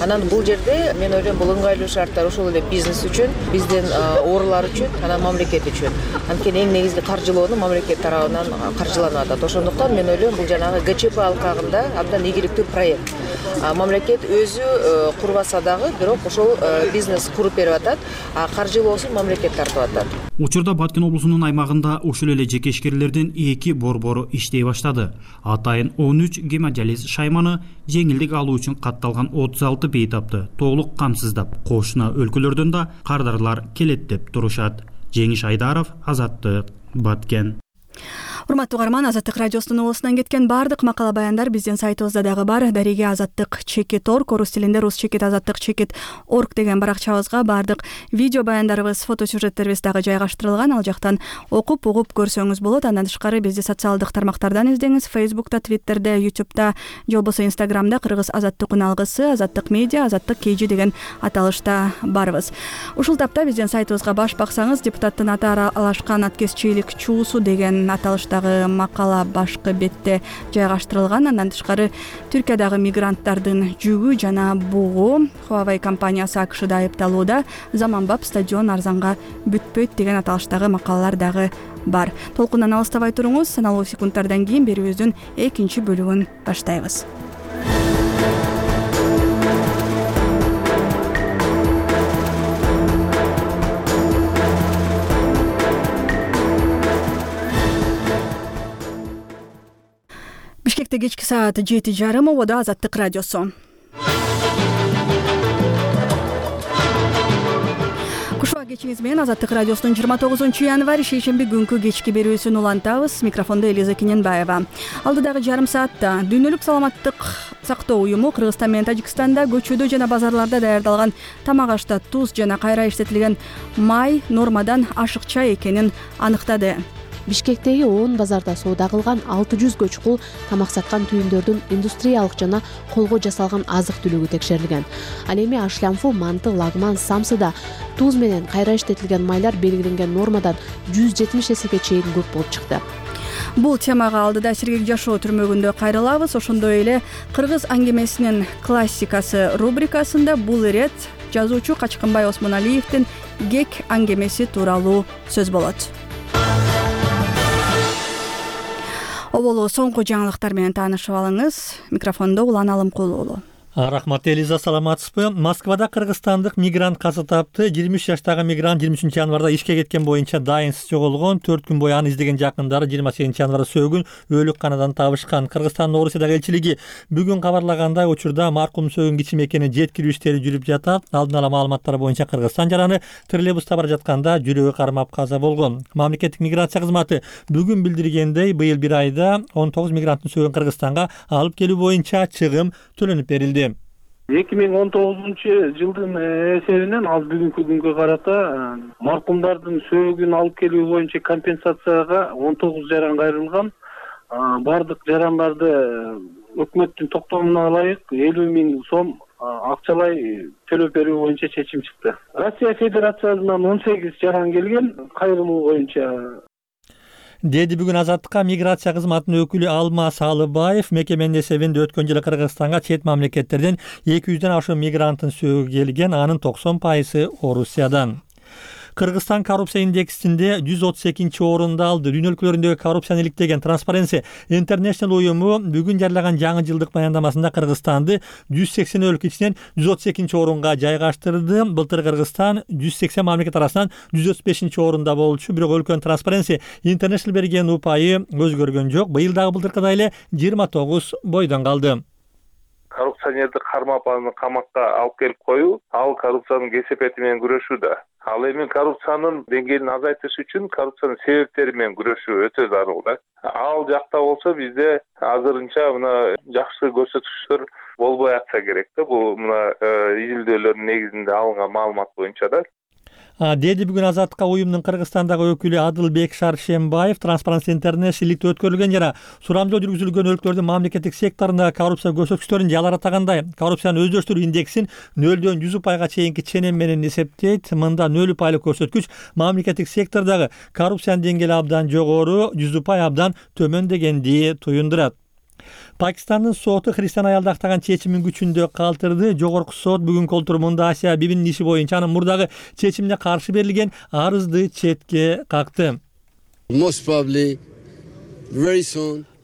Анан бул жерде мен ойлойм бул ыңгайлуу шарттар ошол эле бизнес үчүн, биздин оорулар үчүн, анан мамлекет үчүн. Анткени эң негизги каржылоону мамлекет тарабынан каржыланып атат. Ошондуктан мен ойлойм бул жанагы ГЧП алкагында абдан ийгиликтүү проект. Мамлекет өзү курбаса дагы, бирок ошол бизнес куруп берип атат, а каржылоосун мамлекет тартып атат. Учурда Баткен облусунун аймагында ошол эле жеке ишкерлердин эки борбору иштей баштады. Атайын он үч гемодиализ шайманы жеңилдик алуу үчүн катталган отуз алты бейтапты толук камсыздап, кошуна өлкөлөрдөн да кардарлар келет деп турушат. Жеңиш Айдаров, Азаттык, Баткен. Урматтуу угарман, Азаттык радиосунун оосунан кеткен баардык макала баяндар биздин сайтыбызда дагы бар. Дареге азаттык чекит точка орг, орус тилинде рус чекит азаттык чекит точка орг деген баракчабызга баардык видео баяндарыбыз, фотосюжеттерибиз дагы жайгаштырылган. Ал жактан окуп, угуп көрсөңүз болот. Андан тышкары бизди социалдык тармактардан издеңиз. Facebook'та, Twitter'де, YouTube'да, же болбосо Instagram'да Кыргыз азаттык үналгысы, Азаттык медиа, Азаттык kg деген аталышта барбыз. Ушул тапта биздин сайтыбызга баш баксаңыз, депутаттын аты аралашкан аткезчилик чуусу деген аталыштагы макала башкы бетте жайгаштырылган. Андан тышкары Түркиядагы мигранттардын жүгү жана бугу, Huawei компаниясы АКШда айыпталууда, заманбап стадион арзанга бүтпөйт деген аталыштагы макалалар дагы бар. Толкундан алыстабай туруңуз, саналуу секундтардан кийин берүүбүздүн экинчи бөлүгүн баштайбыз. Бишкекте кечки саат жети жарым, ободо Азаттык радиосу. Кушуа кечиңиз менен Азаттык радиосунун жыйырма тогузунчу январь шейшемби күнкү кечки берүүсүн улантабыз. Микрофондо Элиза Кененбаева. Алдыдагы жарым саатта дүйнөлүк саламаттык сактоо уюму Кыргызстан менен Тажикстанда көчөдө жана базарларда даярдалган тамак ашта туз жана кайра иштетилген май нормадан ашыкча экенин аныктады. Бишкектеги он базарда соода кылган алты жүз көчкул тамак саткан түйүндөрдүн индустриялык жана колго жасалган азык-түлүгү текшерилген. Ал эми ашлямфу, манты, лагман, самсыда туз менен кайра иштетилген майлар белгиленген нормадан жүз жетимиш эсеге чейин көп болуп чыкты. Бул темага алдыда Сергек жашоо түрмөгүндө кайрылабыз. Ошондой эле Кыргыз аңгемесинин классикасы рубрикасында бул ирет жазуучу Качкынбай Осмоналиевдин Гек аңгемеси тууралуу сөз болот. Оболу соңку жаңылыктар менен таанышып алыңыз. Микрофондо Улан Алымкулуу уулу. Рахмат Элиза, саламатсызбы? Москвада кыргызстандык мигрант каза тапты. жыйырма үч жаштагы мигрант жыйырма үчүнчү январда ишке кеткен боюнча дайынсыз жоголгон. төрт күн бою аны издеген жакындары жыйырма сегизинчи январда сөөгүн өлүк канадан табышкан. Кыргызстандын Орусиядагы элчилиги бүгүн кабарлагандай учурда маркум сөөгүн кичим экенин жеткирүү иштери жүрүп жатат. Алдын ала маалыматтар боюнча Кыргызстан жараны троллейбуста бара жатканда жүрөгү кармап каза болгон. Мамлекеттик миграция кызматы бүгүн билдиргендей, быйыл бир айда он тогуз мигранттын сөөгүн Кыргызстанга алып келүү боюнча чыгым төлөнүп берилди. эки миң он тогузунчу жылдын эсебинен ал бүгүнкү күнгө карата маркумдардын сөөгүн алып келүү боюнча компенсацияга он тогуз жаран кайрылган. Бардык жарандарды өкмөттүн токтомуна ылайык элүү миң сом акчалай төлөп берүү боюнча чечим чыкты. Россия Федерациясынан он сегиз жаран келген кайрылуу боюнча. Деди бүгүн Азаттыкка миграция кызматынын өкүлү Алма Салыбаев. Мекеменин эсебинде өткөн жылы Кыргызстанга чет мамлекеттерден эки жүздөн ашуун мигранттын сөөгү келген, анын токсон пайызы Орусиядан. Кыргызстан коррупция индексинде жүз отуз экинчи орунду алды. Дүйнө өлкөлөрүндөгү коррупцияны иликтеген Transparency International уюму бүгүн жарыяган жаңы жылдык баяндамасында Кыргызстанды жүз сексен өлкө ичинен жүз отуз экинчи орунга жайгаштырды. Былтыр Кыргызстан жүз сексен мамлекет арасынан жүз отуз бешинчи орунда болчу, бирок өлкөнүн Transparency International берген упайы өзгөргөн жок. Быйыл дагы былтыркыдай эле жыйырма тогуз бойдон калды. Коррупционерди кармап аны камакка алып келип коюу, ал коррупциянын кесепети менен күрөшүүдө. Ал эми коррупциянын деңгээлин азайтыш үчүн коррупциянын себептери менен күрөшүү өтө зарыл да. Ал жакта болсо бизде азырынча мына жакшы көрсөтүктөр болбой атса керек да. Бул мына изилдөөлөрдүн негизинде алынган маалымат боюнча да. Деди бүгүн Азаттыкка уюмдун Кыргызстандагы өкүлү Адылбек Шаршембаев. Transparency International өткөрүлгөн жана сурамжоо жүргүзүлгөн өлкөлөрдүн мамлекеттик секторундагы коррупция көрсөткүчтөрүн жаларатагандай коррупцияны өздөштүрүү индексин нөлдөн жүз упайга чейинки ченем менен эсептейт. Мында нөл упайлык көрсөткүч мамлекеттик сектордогу коррупциянын деңгээли абдан жогору, жүз упай абдан төмөн дегенди туюндурат. Пакистандын соту христиан аялды актаган чечимин күчүндө калтырды. Жогорку сот бүгүнкү отурумунда Асия Бибинин иши боюнча анын мурдагы чечимине каршы берилген арызды четке какты.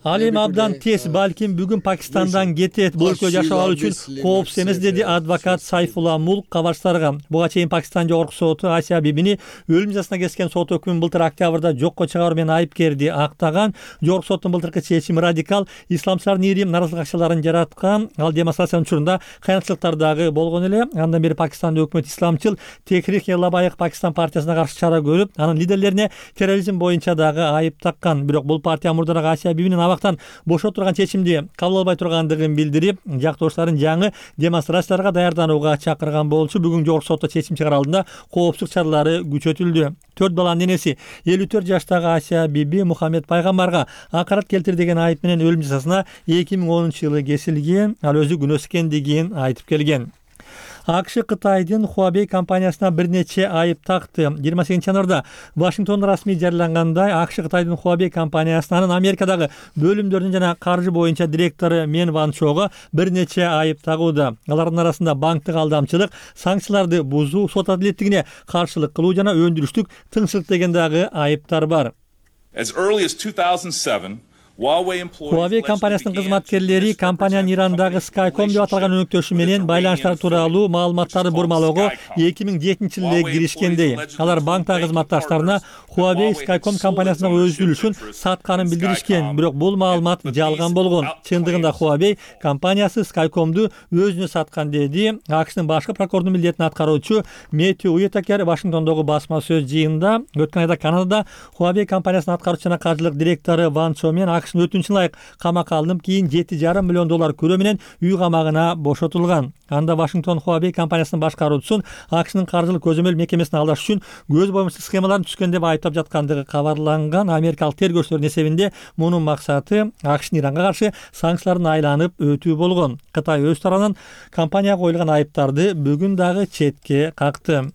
Ал эми абдан тез, балким бүгүн Пакистандан кетет, бул өлкөдө жашап алуу үчүн коопсуз эмес, деди адвокат Сайфулла Мулк кабарчыларга. Буга чейин Пакистан жогорку соту Асия Бибини өлүм жазасына кескен сот өкүмүн былтыр октябрда жокко чыгаруу менен айыпкерди актаган. Жогорку соттун былтыркы чечими радикал исламчылардын ири наразылык акчаларын жараткан. Ал демонстрациянын учурунда кыянатчылыктар дагы болгон эле. Андан бери Пакистанда өкмөт исламчыл Техрик-e-Labbaik Пакистан партиясына каршы чара көрүп, анын лидерлерине терроризм боюнча дагы айып таккан. Бирок бул партия мурдараак Асия Бибинин абактан бошотурган чечимди кабыл албай тургандыгын билдирип, жактоошторун жаңы демонстрацияларга даярданууга чакырган болчу. Бүгүн жогорку сотто чечим чыгара алдында коопсуздук чаралары күчөтүлдү. Төрт баланын энеси элүү төрт жаштагы Асия Биби Мухаммед пайгамбарга акарат келтир деген айып менен өлүм жазасына эки миң онунчу жылы кесилген. Ал өзү күнөөсүз экендигин айтып келген. АКШ Кытайдын Huawei компаниясына бир нече айып такты. жыйырма сегизинчи январда Вашингтондо расмий жарыялангандай АКШ Кытайдын Huawei компаниясынын Америкадагы бөлүмдөрүнүн жана каржы боюнча директору Мен Ван Чого бир нече айып тагууда. Алардын арасында банктык алдамчылык, санкцияларды бузуу, сот адилеттигине каршылык кылуу жана өндүрүштүк тыңчылык деген дагы айыптар бар. Huawei компаниясынын кызматкерлери компаниянын Ирандагы Skycom деп аталган өнөктөшү менен байланыштар тууралуу маалыматтарды бурмалоого эки миң жетинчи жылы эле киришкендей. Алар банктагы кызматташтарына Huawei Skycom компаниясынын өз үлүшүн сатканын билдиришкен, бирок бул маалымат жалган болгон. Чындыгында Huawei компаниясы Skycomду өзүнө саткан, деди АКШнын башкы прокурордун милдетин аткаруучу Мэттью Уитакер Вашингтондогу басма сөз жыйынында. Өткөн айда Канадада Huawei компаниясынын аткаруучу жана каржылык директору Ван Чо менен АКШнын өтүнүчүн ылайык камакка алынып, кийин жети жарым миллион доллар көрөө менен үй камагына бошотулган. Анда Вашингтон Huawei компаниясынын башкаруучусун АКШнын каржылык көзөмөл мекемесин алдаш үчүн көз боюмсуз схемаларын түзгөн деп айыптап жаткандыгы кабарланган. Америкалык тергөөчүлөрдүн эсебинде мунун максаты АКШнын Иранга каршы санкцияларын айланып өтүү болгон. Кытай өз тарабынан компанияга коюлган айыптарды бүгүн дагы четке какты.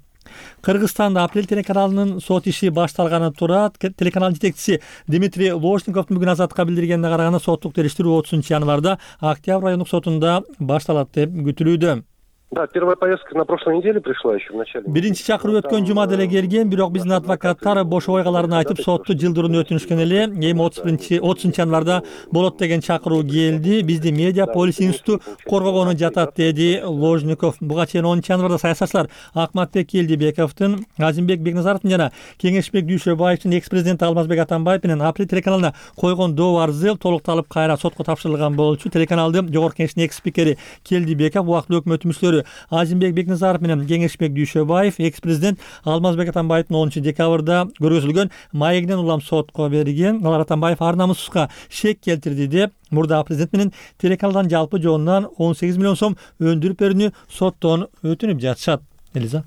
Кыргызстанда Апрель телеканалынын сот иши башталганы турат. Телеканал жетекчиси Дмитрий Ложниковдун бүгүн Азатка билдиргенине караганда соттук териштирүү отузунчу январда Октябрь райондук сотунда башталат деп күтүлүүдө. Да, первая поездка на прошлой неделе пришла еще в начале. Биринчи чакыруу өткөн жумада эле келген, бирок биздин адвокаттар бошоо койгаларын айтып, сотту жылдырууну өтүнүшкөн эле. Эми отузунчу январда болот деген чакыруу келди. Бизди Медиа Полис институту коргогону жатат, деди Ложников. Буга чейин онунчу январда саясатчылар Акматбек Келдибековдун, Азимбек Бекназаровдун жана Кеңешбек Дүйшөбаевдин экс-президенти Алмазбек Атамбаев менен Апрель телеканалына койгон доо арызы толукталып кайра сотко тапшырылган болчу. Телеканалдын жогорку кеңештин экс-спикери Келдибеков, убактылуу өкмөт мүчөлөрү Азимбек Бекназаров менен Кеңешбек Дүйшөбаев экс-президент Алмазбек Атамбаевдин онунчу декабрда көргөзүлгөн маегинен улам сотко берген. Алар Атамбаев ар намуссузга шек келтирди деп мурда президент менен телеканалдан жалпы жоонунан он сегиз миллион сом өндүрүп берүүнү соттон өтүнүп жатышат. Элиза.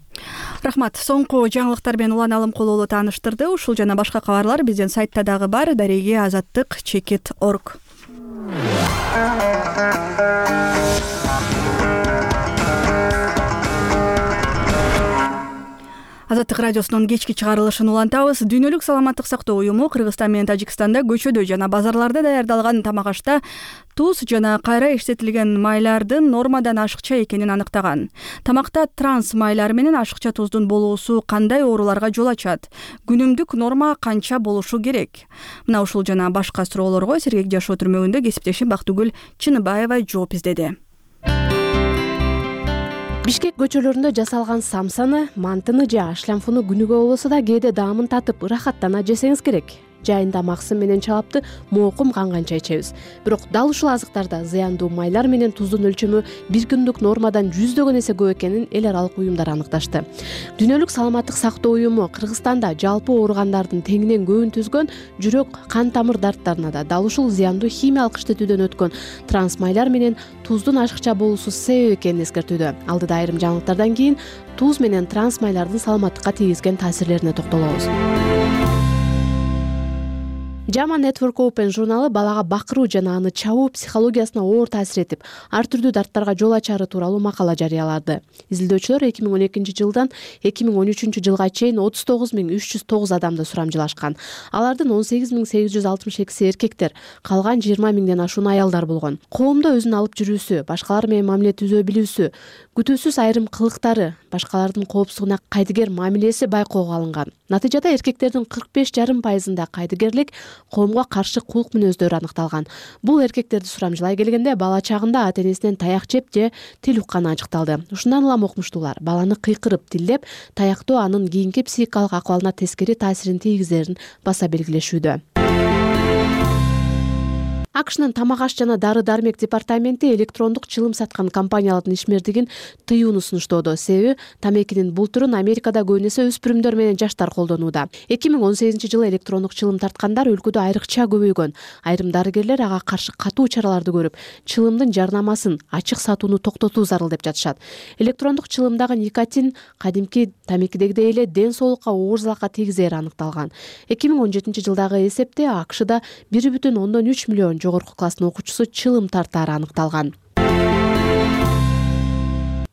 Рахмат. Соңку жаңылыктар менен Улан Алымкулуулу тааныштырды. Ушул жана башка кабарлар биздин сайтта дагы бар. Дареги азаттык чекит точка орг. Азаттык радиосунун кечки чыгарылышын улантабыз. Дүйнөлүк саламаттык сактоо уюму Кыргызстан менен Тажикстанда көчөдө жана базарларда даярдалган тамак-ашта туз жана кайра иштетилген майлардын нормадан ашыкча экенин аныктаган. Тамакта транс майлар менен ашыкча туздун болуусу кандай ооруларга жол ачат? Күнүмдүк норма канча болушу керек? Мына ушул жана башка суроолорго сергек жашоо түрмөгүндө кесиптешим Бактыгүл Чыныбаева жооп издеди. Бишкек көчөлөрүндө жасалган самсаны, мантыны же ашлямфуну күнүгө болбосо да кээде даамын татып, ырахаттана жесеңиз керек. Жайында максым менен чалапты моокум канганча ичебиз. Бирок дал ушул азыктарда зыяндуу майлар менен туздун өлчөмү бир күндүк нормадан жүздөгөн эсе көп экенин эл аралык уюмдар аныкташты. Дүйнөлүк саламаттык сактоо уюму Кыргызстанда жалпы ооругандардын теңинен көбүн түзгөн жүрөк, кан тамыр дарттарына да дал ушул зыяндуу химиялык иштетүүдөн өткөн транс майлар менен туздун ашыкча болуусу себеп экенин эскертүүдө. Алдыда айрым жаңылыктардан кийин туз менен транс майлардын саламаттыкка тийгизген таасирлерине токтолобуз. Jama Network Open журналы балага бакыруу жана аны чабуу психологиясына оор таасир этип, ар түрдүү дарттарга жол ачары тууралуу макала жарыялады. Изилдөөчүлөр эки миң он экинчи жылдан эки миң он үчүнчү жылга чейин отуз тогуз миң үч жүз тогуз адамды сурамжылашкан. Алардын он сегиз миң сегиз жүз алтымыш экиси эркектер, калган жыйырма миңден ашуун аялдар болгон. Коомдо өзүн алып жүрүүсү, башкалар менен мамиле түзө билүүсү, күтүүсүз айрым кылыктары, башкалардын коопсуздугуна кайдыгер мамилеси байкоого алынган. Натыйжада эркектердин кырк беш жарым пайызында кайдыгерлик, коомго каршы кулк мүнөздөрү аныкталган. Бул эркектерди сурамжылай келгенде бала чагында ата-энесинен таяк жеп же тил укканы ажыкталды. Ушундан улам окумуштуулар баланы кыйкырып, тилдеп, таяктоо анын кийинки психикалык акыбалына тескери таасирин тийгизерин баса белгилешүүдө. АКШнын тамак аш жана дары-дармек департаменти электрондук чылым саткан компаниялардын ишмердигин тыюуну сунуштоодо. Себеби тамекинин бул түрүн Америкада көбүнесе өспүрүмдөр менен жаштар колдонууда. эки миң он сегизинчи жылы электрондук чылым тарткандар өлкөдө айрыкча көбөйгөн. Айрым дарыгерлер ага каршы катуу чараларды көрүп, чылымдын жарнамасын, ачык сатууну токтотуу зарыл деп жатышат. Электрондук чылымдагы никотин кадимки тамекидегидей эле ден соолукка оор залалга тийгизери аныкталган. эки миң он жетинчи жылдагы эсепте АКШда бир бүтүн ондон үч миллион жогорку класстын окуучусу чылым тартаары аныкталган.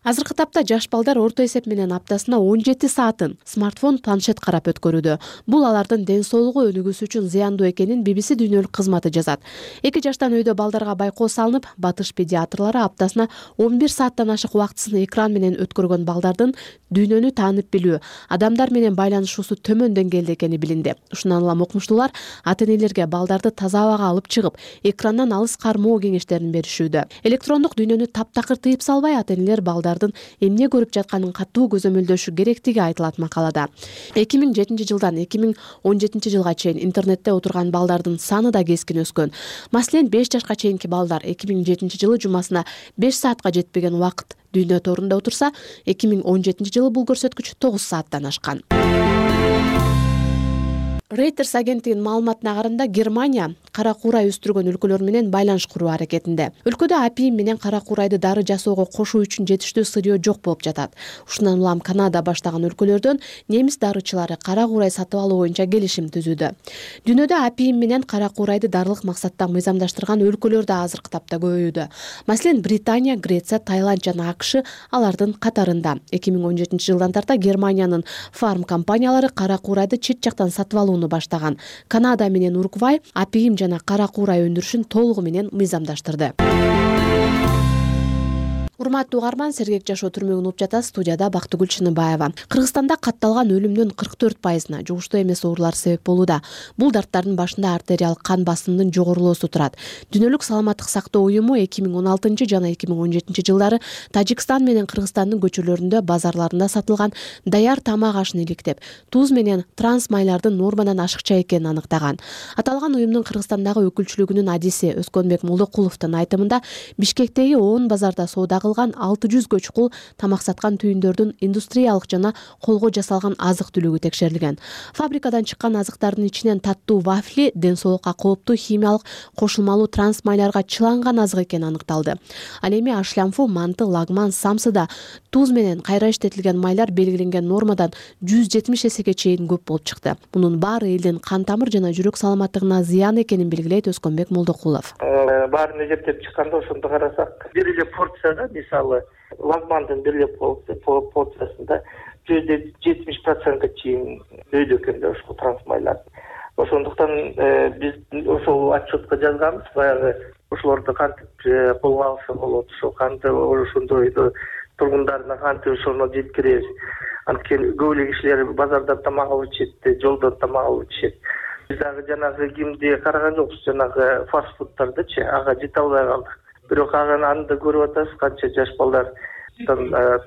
Азыркы тапта жаш балдар орто эсеп менен аптасына он жети саатын смартфон, планшет карап өткөрүүдө. Бул алардын ден соолугу өнүгүүсү үчүн зыяндуу экенин би би си дүйнөлүк кызматы жазат. эки жаштан өйдө балдарга байкоо салынып, батыш педиатрлары аптасына он бир сааттан ашык убактысын экран менен өткөргөн балдардын дүйнөнү таанып билүү, адамдар менен байланышуусу төмөн деңгээлде экени билинди. Ушундан улам окумуштуулар ата-энелерге балдарды таза абага алып чыгып, экрандан алыс кармоо кеңештерин беришүүдө. Электрондук дүйнөнү таптакыр тыйып салбай, ата-энелер балдар эмне көрүп жатканын катуу көзөмөлдөшү керектиги айтылат макалада. эки миң жетинчи жылдан эки миң он жетинчи жылга чейин интернетте отурган балдардын саны да кескин өскөн. Маселен, беш жашка чейинки балдар эки миң жетинчи жылы жумасына беш саатка жетпеген убакыт дүйнө торунда отурса, эки миң он жетинчи жылы бул көрсөткүч тогуз сааттан ашкан. Reuters агенттигинин маалыматына караганда Германия кара куурай өстүргөн өлкөлөр менен байланыш куруу аракетинде. Өлкөдө апиим менен кара куурайды дары жасоого кошуу үчүн жетиштүү сырьё жок болуп жатат. Ушундан улам Канада баштаган өлкөлөрдөн немис дарычылары кара куурай сатып алуу боюнча келишим түзүүдө. Дүйнөдө апиим менен кара куурайды дарылык максатта мыйзамдаштырган өлкөлөр да азыркы тапта көбөйүүдө. Маселен, Британия, Греция, Таиланд жана АКШ алардын катарында. эки миң он жетинчи жылдан тарта Германиянын фарм компаниялары кара куурайды чет жактан сатып алуу баштаган. Канада менен Уругвай апиим жана кара куурай өндүрүшүн толугу менен мыйзамдаштырды. Урматтуу угарман, сергек жашоо түрмөгүн угуп жатасыз. Студияда Бактыгүл Чыныбаева. Кыргызстанда катталган өлүмдүн кырк төрт пайызына жугуштуу эмес оорулар себеп болууда. Бул дарттардын башында артериалдык кан басымынын жогорулоосу турат. Дүйнөлүк саламаттык сактоо уюму эки миң он алтынчы жана эки миң он жетинчи жылдары Тажикстан менен Кыргызстандын көчөлөрүндө, базарларында сатылган даяр тамак ашын иликтеп, туз менен транс майлардын нормадан ашыкча экенин аныктаган. Аталган уюмдун Кыргызстандагы өкүлчүлүгүнүн адиси Өскөнбек Молдокуловдун айтымында, Бишкектеги он базарда соода алты жүз көчкул тамак саткан түйүндөрдүн индустриялык жана колго жасалган азык-түлүгү текшерилген. Фабрикадан чыккан азыктардын ичинен таттуу вафли ден соолукка кооптуу химиялык кошулмалуу транс майларга чыланган азык экени аныкталды. Ал эми ашлямфу, манты, лагман, самсыда туз менен кайра иштетилген майлар белгиленген нормадан жүз жетимиш эсеге чейин көп болуп чыкты. Мунун баары элдин кан тамыр жана жүрөк саламаттыгына зыян экенин белгилейт Өскөнбек Молдокулов. Баарын эсептеп чыкканда ошондо карасак, бир эле порцияда мисалы лагмандын бир эле порциясында жүз жетимиш процентке чейин өйдө экен да ушул трансмайлар. Ошондуктан биз ошол отчетко жазганбыз, баягы ошолорду кантип колго алса болот, ошол кантип ошондой тургундарына кантип ошону жеткиребиз. Анткени көп эле кишилер базардан тамак алып ичет, жолдон тамак алып ичет. Биз дагы жанагы кимди караган жокпуз, жанагы фастфудтардычы, ага жете албай калдык. Бирок аны да көрүп атабыз, канча жаш балдар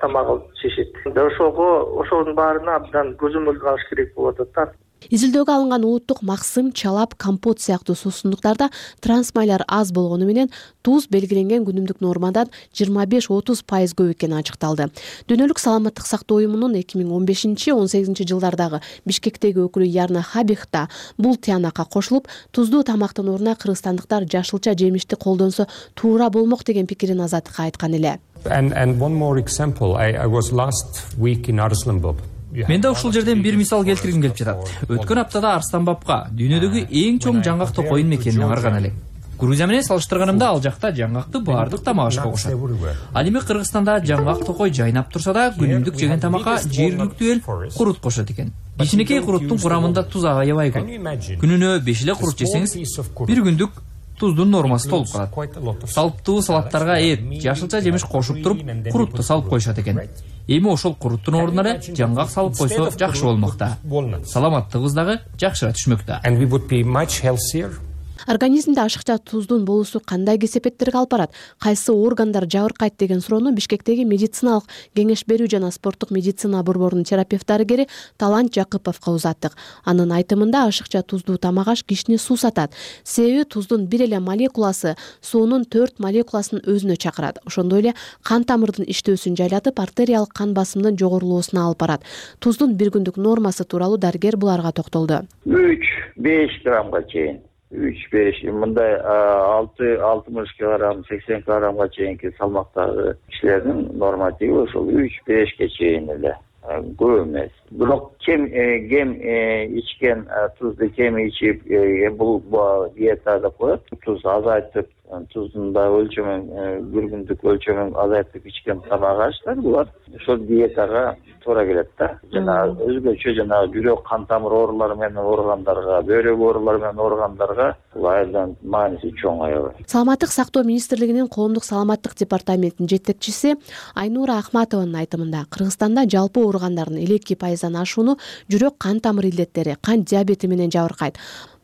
тамак алып ичишет. Ошого ошонун баарына абдан көзөмөлдү алыш керек болуп атат. Изилдөөгө алынган улуттук максым, чалап, компот сыяктуу суусундуктарда трансмайлар аз болгону менен туз белгиленген күнүмдүк нормадан жыйырма беш отуз пайыз көп экени ачыкталды. Дүйнөлүк саламаттык сактоо уюмунун эки миң он бешинчи он сегизинчи жылдардагы Бишкектеги өкүлү Ярна Хабихта бул тыянакка кошулуп, туздуу тамактын ордуна кыргызстандыктар жашылча жемишти колдонсо туура болмок деген пикирин Азаттыкка айткан эле. And and one more example, I, I was last week in Arslanbab. Мен да ушул жерден бир мисал келтиргим келип жатат. Өткөн аптада Арсланбабка дүйнөдөгү эң чоң жаңгак токойун мекенин аңгарган элем. Грузия менен салыштырганымда ал жакта жаңгакты баардык тамак ашка кошот. Ал эми Кыргызстанда жаңгак токой жайнап турса да, күнүмдүк жеген тамакка жергиликтүү эл курут кошот экен. Кичинекей куруттун курамында туз аябай көп. Күнүнө беш эле курут жесеңиз, бир күндүк туздун нормасы толуп калат. Салыптуу салаттарга эт, жашылча жемиш кошуп туруп, курутtu салып коюшат экен. эми ошол куруттун ордуна эле жаңгак салып койсо жакшы болмокта. Саламаттыгыбыз дагы жакшыра түшмөктө. Организмде ашыкча туздун болуусу кандай кесепеттерге алып барат, кайсы органдар жабыркайт деген суроону Бишкектеги медициналык кеңеш берүү жана спорттук медицина борборунун терапевт дарыгери Талант Жакыповго узаттык. Анын айтымында ашыкча туздуу тамак аш кишини суусатат. Себеби туздун бир эле молекуласы суунун төрт молекуласын өзүнө чакырат. Ошондой эле кан тамырдын иштөөсүн жайлатып, артериялык кан басымдын жогорулоосуна алып барат. Туздун бир күндүк нормасы тууралуу дарыгер буларга токтолду. үч беш граммга чейин. үч беш мындай алты алтымыш килограмм сексен килограммга чейинки салмактагы кишилердин нормативи ошол үч бешке чейин эле, көп эмес. Бирок кем кем ичкен тузду кем ичип бул диета деп коет. Туз азайтып, туздун да өлчөмүн бир күндүк өлчөмүн азайтып ичкен тамак аштар булар ошол диетага туура келет да. Жана өзгөчө жана жүрөк кан тамыр оорулары менен ооругандарга, бөйрөк оорулары менен ооругандарга бул айдан мааниси чоң аябай. Саламаттык сактоо министрлигинин коомдук саламаттык департаментинин жетекчиси Айнура Ахматованын айтымында Кыргызстанда жалпы ооругандардын элүү эки пайыздан ашууну жүрөк кан тамыр илдеттери, кан диабети менен жабыркайт.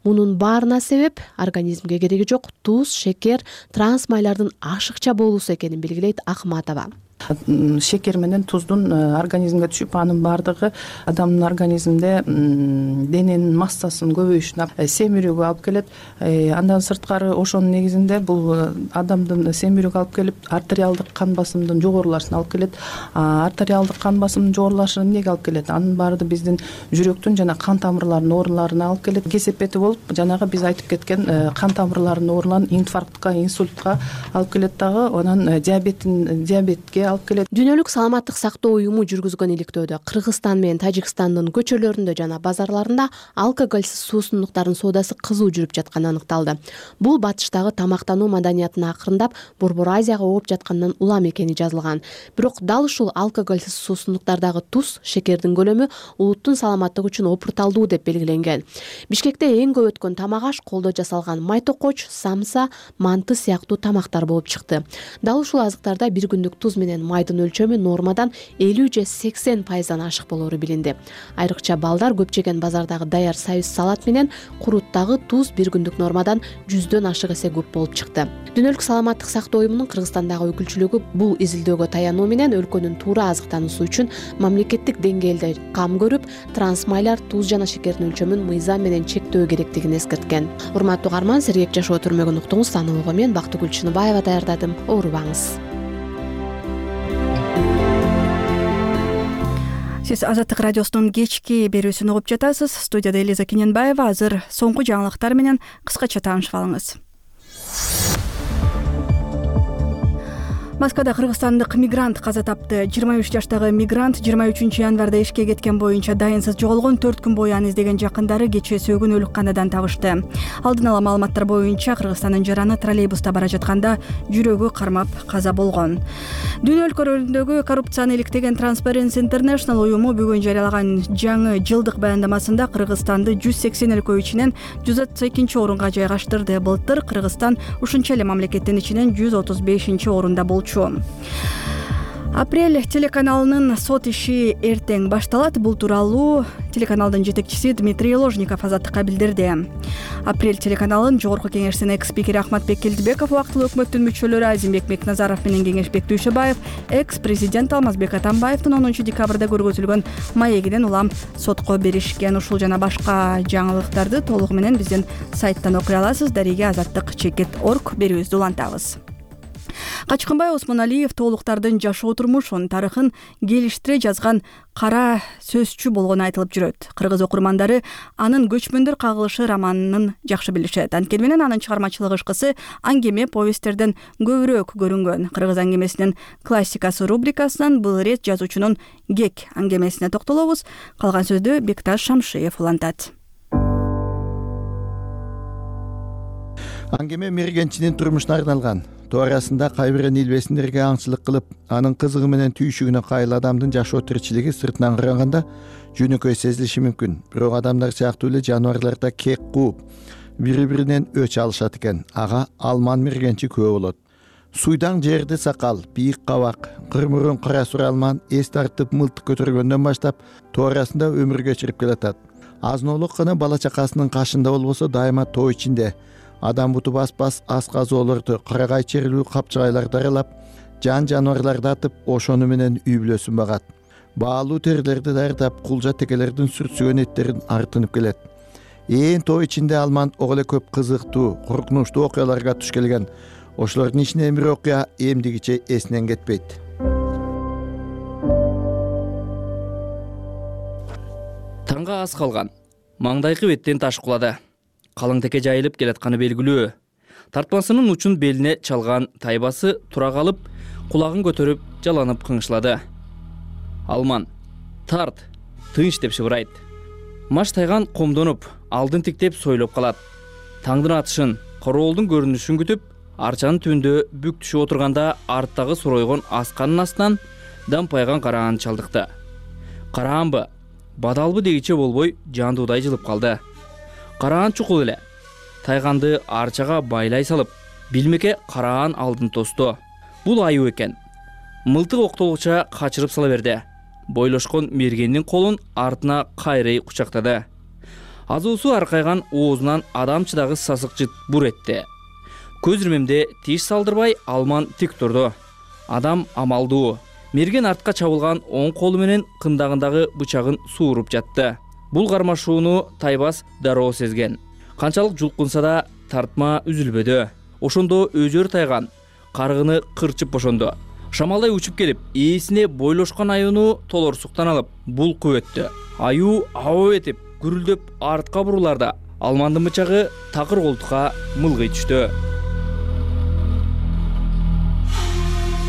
Мунун баарына себеп организмге кереги жок туз, шекер, транс майлардын ашыкча болуусу экенин белгилейт Ахматова. Шекер менен туздун организмге түшүп, анын баардыгы адамдын организминде дененин массасынын көбөйүшүнө, семирүүгө алып келет. Андан сырткары ошонун негизинде бул адамдын семирүүгө алып келип, артериалдык кан басымдын жогорулашына алып келет. Артериалдык кан басымдын жогорулашы эмнеге алып келет? Анын баары биздин жүрөктүн жана кан тамырларынын ооруларына алып келет. Кесепети болуп, жанагы биз айтып кеткен кан тамырларынын ооруларын инфарктка, инсультка алып келет дагы, анан диабеттин диабетке алып келет. Дүйнөлүк саламаттык сактоо уюму жүргүзгөн иликтөөдө Кыргызстан менен Тажикстандын көчөлөрүндө жана базарларында алкоголсиз суусундуктардын соодасы кызуу жүрүп жатканы аныкталды. Бул батыштагы тамактануу маданиятын акырындап Борбор Азияга ооп жаткандан улам экени жазылган. Бирок дал ушул алкоголсиз суусундуктардагы туз, шекердин көлөмү улуттун саламаттыгы үчүн опурталдуу деп белгиленген. Бишкекте эң көп өткөн тамак аш колдо жасалган майтокоч, самса, манты сыяктуу тамактар болуп чыкты. Дал ушул азыктарда бир күндүк туз менен майдын өлчөмү нормадан элүү же сексен пайыздан ашык болору билинди. Айрыкча балдар көп жеген базардагы даяр союз салат менен куруттагы туз бир күндүк нормадан жүздөн ашык эсе көп болуп чыкты. Дүйнөлүк саламаттык сактоо уюмунун Кыргызстандагы өкүлчүлүгү бул изилдөөгө таянуу менен өлкөнүн туура азыктануусу үчүн мамлекеттик деңгээлде кам көрүп, трансмайлар, туз жана шекердин өлчөмүн мыйзам менен чектөө керектигин эскерткен. Урматтуу угарман, сергек жашоо түрмөгүн уктуңуз. Аны мен Бактыгүл Чыныбаева даярдадым. Оорубаңыз. Сиз Азаттык радиосунун кечки берүүсүн угуп жатасыз. Студияда Элиза Кененбаева. Азыр соңку жаңылыктар менен кыскача таанышып алыңыз. Москвада кыргызстандык мигрант каза тапты. жыйырма үч жаштагы мигрант жыйырма үчүнчү январда ишке кеткен боюнча дайынсыз жоголгон. төрт күн бою аны издеген жакындары кечээ сөөгүн өлүкканадан табышты. Алдын ала маалыматтар боюнча Кыргызстандын жараны троллейбуста бара жатканда жүрөгү кармап каза болгон. Дүйнө өлкөлөрүндөгү коррупцияны иликтеген Transparency International уюму бүгүн жарыялаган жаңы жылдык баяндамасында Кыргызстанды жүз сексен өлкө ичинен жүз отуз экинчи орунга жайгаштырды. Былтыр Кыргызстан ушунча эле мамлекеттин ичинен жүз отуз бешинчи орунда болчу. Апрель телеканалынын сот иши эртең башталат. Бул тууралуу телеканалдын жетекчиси Дмитрий Ложников Азаттыкка билдирди. Апрель телеканалынын жогорку кеңешинин экс-спикери Ахматбек Келдибеков, убактылуу өкмөттүн мүчөлөрү Азимбек Мекназаров менен кеңешбек Дүйшөбаев, экс-президент Алмазбек Атамбаевдин онунчу декабрда көргөзүлгөн маегинен улам сотко беришкен. Ушул жана башка жаңылыктарды толугу менен биздин сайттан окуй аласыз. Дариге азаттык чекит орг берүүбүздү улантабыз. Качкынбай Осмоналиев тоолуктардын жашоо турмушун, тарыхын келиштире жазган кара сөзчү болгону айтылып жүрөт. Кыргыз окурмандары анын Көчмөндөр кагылышы романын жакшы билишет. Анткени менен анын чыгармачылык ышкысы аңгеме повесттерден көбүрөөк көрүнгөн. Кыргыз аңгемесинин классикасы рубрикасынан бул ирет жазуучунун Гек аңгемесине токтолобуз. Калган сөздү Бекташ Шамшиев улантат. Аңгеме мергенчинин турмушуна арналган. Туурасында кайбирен илбесиндерге аңчылык кылып, анын кызыгы менен түйшүгүнө кайыл адамдын жашоо тиричилиги сыртынан караганда жөнөкөй сезилиши мүмкүн. Бирок адамдар сыяктуу эле жаныбарлар да кек кууп, бири-биринен өч алышат экен. Ага Алман мергенчи күбө болот. суйдаң жерди сакал, бийик кабак, кырмурун кара сур алман эс тартып мылтык көтөргөндөн баштап тоо арасында өмүр кечирип келатат. Азноолук гана бала чакасынын кашында болбосо дайыма тоо ичинде. Адам буту бас-бас ас казоолорду, карагай черлүү капчыгайларды аралап, жан жаныбарларды атып, ошону менен үй бүлөсүн багат. Баалуу терилерди даярдап, кулжа текелердин сүртсүгөн эттерин артынып келет. Ээн тоо ичинде Алман ого эле көп кызыктуу, коркунучтуу окуяларга туш келген. Ошолордун ичинен бир окуя эмдигиче эсинен кетпейт. Таңга аз калган. Маңдайкы беттен таш кулады. Калың теке жайылып келатканы белгилүү. Тартмасынын учун белине чалган тайбасы тура калып, кулагын көтөрүп, жаланып кыңшылады. Алман: "Тарт, тынч" деп шыбырайт. Маш тайган комдонуп, алдын тиктеп сойлоп калат. Таңдын атышын, короолдун көрүнүшүн күтүп, арчанын түбүндө бүк түшүп отурганда арттагы суройгон асканын астынан дампайган караан чалдыкты. Караанбы, бадалбы дегиче болбой жандуудай жылып калды. Караан чукул эле. Тайганды арчага байлай салып, билмеке караан алдын тосту. Бул аюу экен. Мылтык октолгуча качырып сала берди. Бойлошкон мергендин колун артына кайрый кучактады. Азуусу аркайган оозунан адамчыдагы сасык жыт бур этти. Көз ирмемде тиш салдырбай Алман тик турду. Адам амалдуу. Мерген артка чабылган оң колу менен кындагындагы бычагын сууруп жатты. Бул кармашууну Тайбас дароо сезген. Канчалык жулкунса да тартма үзүлбөдү. Ошондо өзөр тайган, каргыны кырчып бошонду. Шамалдай учуп келип, ээсине бойлошкон аюуну толорсуктан алып, булкуп өттү. Аюу аба этип, гүрүлдөп артка буруларда Алмандын бычагы такыр колтукка мылгый түштү.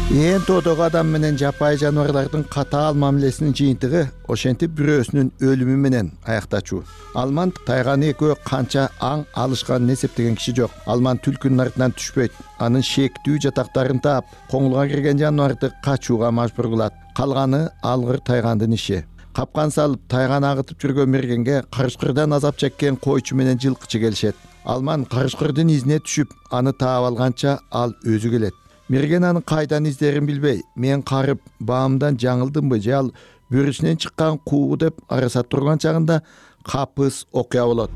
Ээн тоодогу адам менен жапайы жаныбарлардын катаал мамилесинин жыйынтыгы ошентип бирөөсүнүн өлүмү менен аяктачу. Алман тайганы экөө канча аң алышканын эсептеген киши жок. Алман түлкүнүн артынан түшпөйт. Анын шектүү жатактарын таап, коңулга кирген жаныбарды качууга мажбур кылат. Калганы алгыр тайгандын иши. Капкан салып, тайганы агытып жүргөн мергенге карышкырдан азап чеккен койчу менен жылкычы келишет. Алман карышкырдын изине түшүп, аны таап алганча ал өзү келет. Мерген анын кайдан издерин билбей, мен карып, баамдан жаңылдымбы же ал бөрүсүнөн чыккан куу деп арасат турган чагында капыс окуя болот.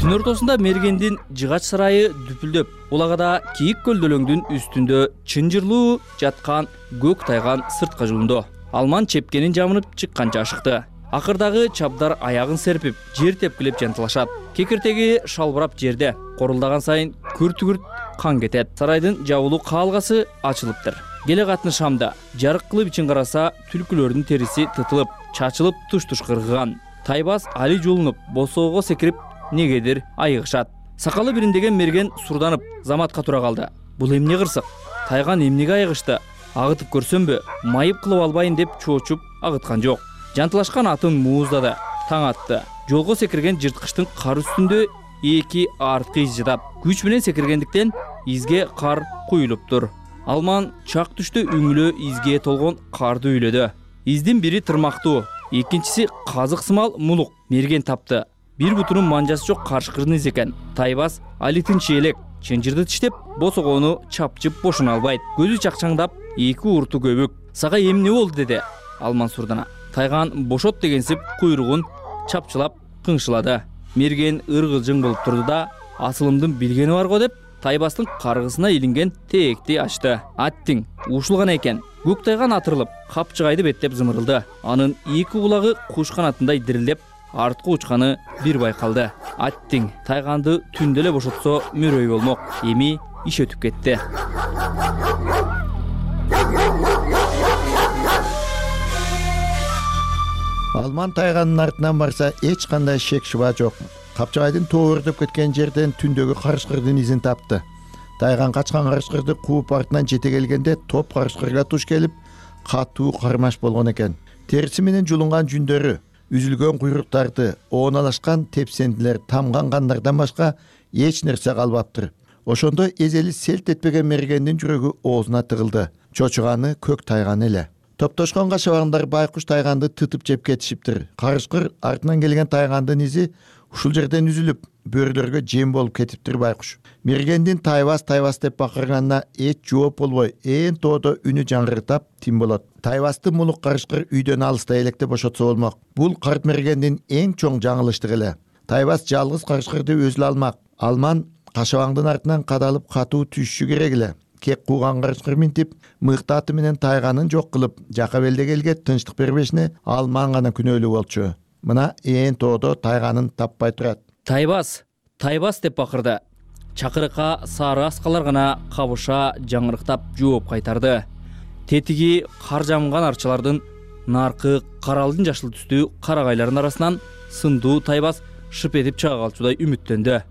Түн ортосунда мергендин жыгач сарайы дүпүлдөп, улагада кийик көлдөлөңдүн үстүндө чынжырлуу жаткан көк тайган сыртка жулунду. Алман чепкенин жамынып чыкканча ашыкты. Акырдагы чабдар аягын серпип, жер тепкилеп жантылашат. Кекиртеги шалбырап жерде. Корулдаган сайын күрт-күрт кан кетет. Сарайдын жабылуу каалгасы ачылыптыр. Келе катын шамда жарык кылып ичин караса, түлкүлөрдүн териси тытылып, чачылып туш-туш кыргыган. Тайбас али жулунуп, босоого секирип, негедир айыгышат. Сакалы бириндеген мерген сурданып, заматка тура калды. Бул эмне кырсык? Тайган эмнеге айыгышты? Агытып көрсөмбү, майып кылып албайын деп чоочуп агыткан жок. Жантылашкан атын мууздады, таң атты. Жолго секирген жырткычтын кар үстүндө эки арткы из жатат. Күч менен секиргендиктен изге кар куюлуптур. Алман чак түштө үңүлө изге толгон карды үйлөдү. Издин бири тырмактуу, экинчиси казык сымал мулук. Мерген тапты. Бир бутунун манжасы жок карышкырдын изи экен. Тайбас али тынч элек, чынжырды тиштеп, босогону чапчып бошуна албайт. Көзү чакчаңдап, эки урту көбүк. Сага эмне болду деди Алман сурдана. Тайган бошот дегенсип куйругун чапчылап кыңшылады. Мерген ыргылжың болуп турду да, асылымдын билгени бар го деп, Тайбастын каргысына илинген тээкти ачты. Аттиң ушулган экен. Көк тайган атырылып, капчыгайды беттеп зымырылды. Анын эки кулагы куш канатындай дирилдеп, артка учканы бир байкалды. Аттиң тайганды түндө эле бошотсо мөрөй болмок. Эми иш өтүп кетти. Алман тайганын артынан барса эч кандай шек шуба жок. Капчыгайдын тоо өрдөп кеткен жерден түндөгү карышкырдын изин тапты. Тайган качкан карышкырды кууп артынан жете келгенде топ карышкырга туш келип, катуу кармаш болгон экен. Териси менен жулунган жүндөрү, үзүлгөн куйруктарды, ооналашкан тепсендилер, тамган кандардан башка эч нерсе калбаптыр. Ошондо эзели селт этпеген мергендин жүрөгү оозуна тыгылды. Чочуганы көк тайган эле. Топтошкон кашабаңдар байкуш тайганды тытып жеп кетишиптир. Карышкыр артынан келген тайгандын изи Ушул жерден үзүлүп бөрүлөргө жем болуп кетиптир байкуш. Мергендин тайбас тайбас деп бакырганына эч жооп болбой, ээн тоодо үнү жаңгыртап тим болот. Тайбасты мулук карышкыр үйдөн алыста электе бошотсо болмок. Бул карт мергендин эң чоң жаңылыштыгы эле. Тайбас жалгыз карышкырды өзү алмак. Алман кашабаңдын артынан кадалып катуу түшүшү керек эле. Кек кууган карышкыр минтип, мыкты аты менен тайганын жок кылып, жака белдегелге тынчтык бербешине Алман гана күнөөлүү болчу. Мына ээн тоодо тайганын таппай турат. Тайбас, тайбас деп бакырды. Чакырыкка сары аскалар гана кабыша жаңырыктап жооп кайтарды. Тетиги кар жамган арчалардын наркы каралдын жашыл түстүү карагайлардын арасынан сындуу тайбас шып этип чыга калчудай үмүттөндү.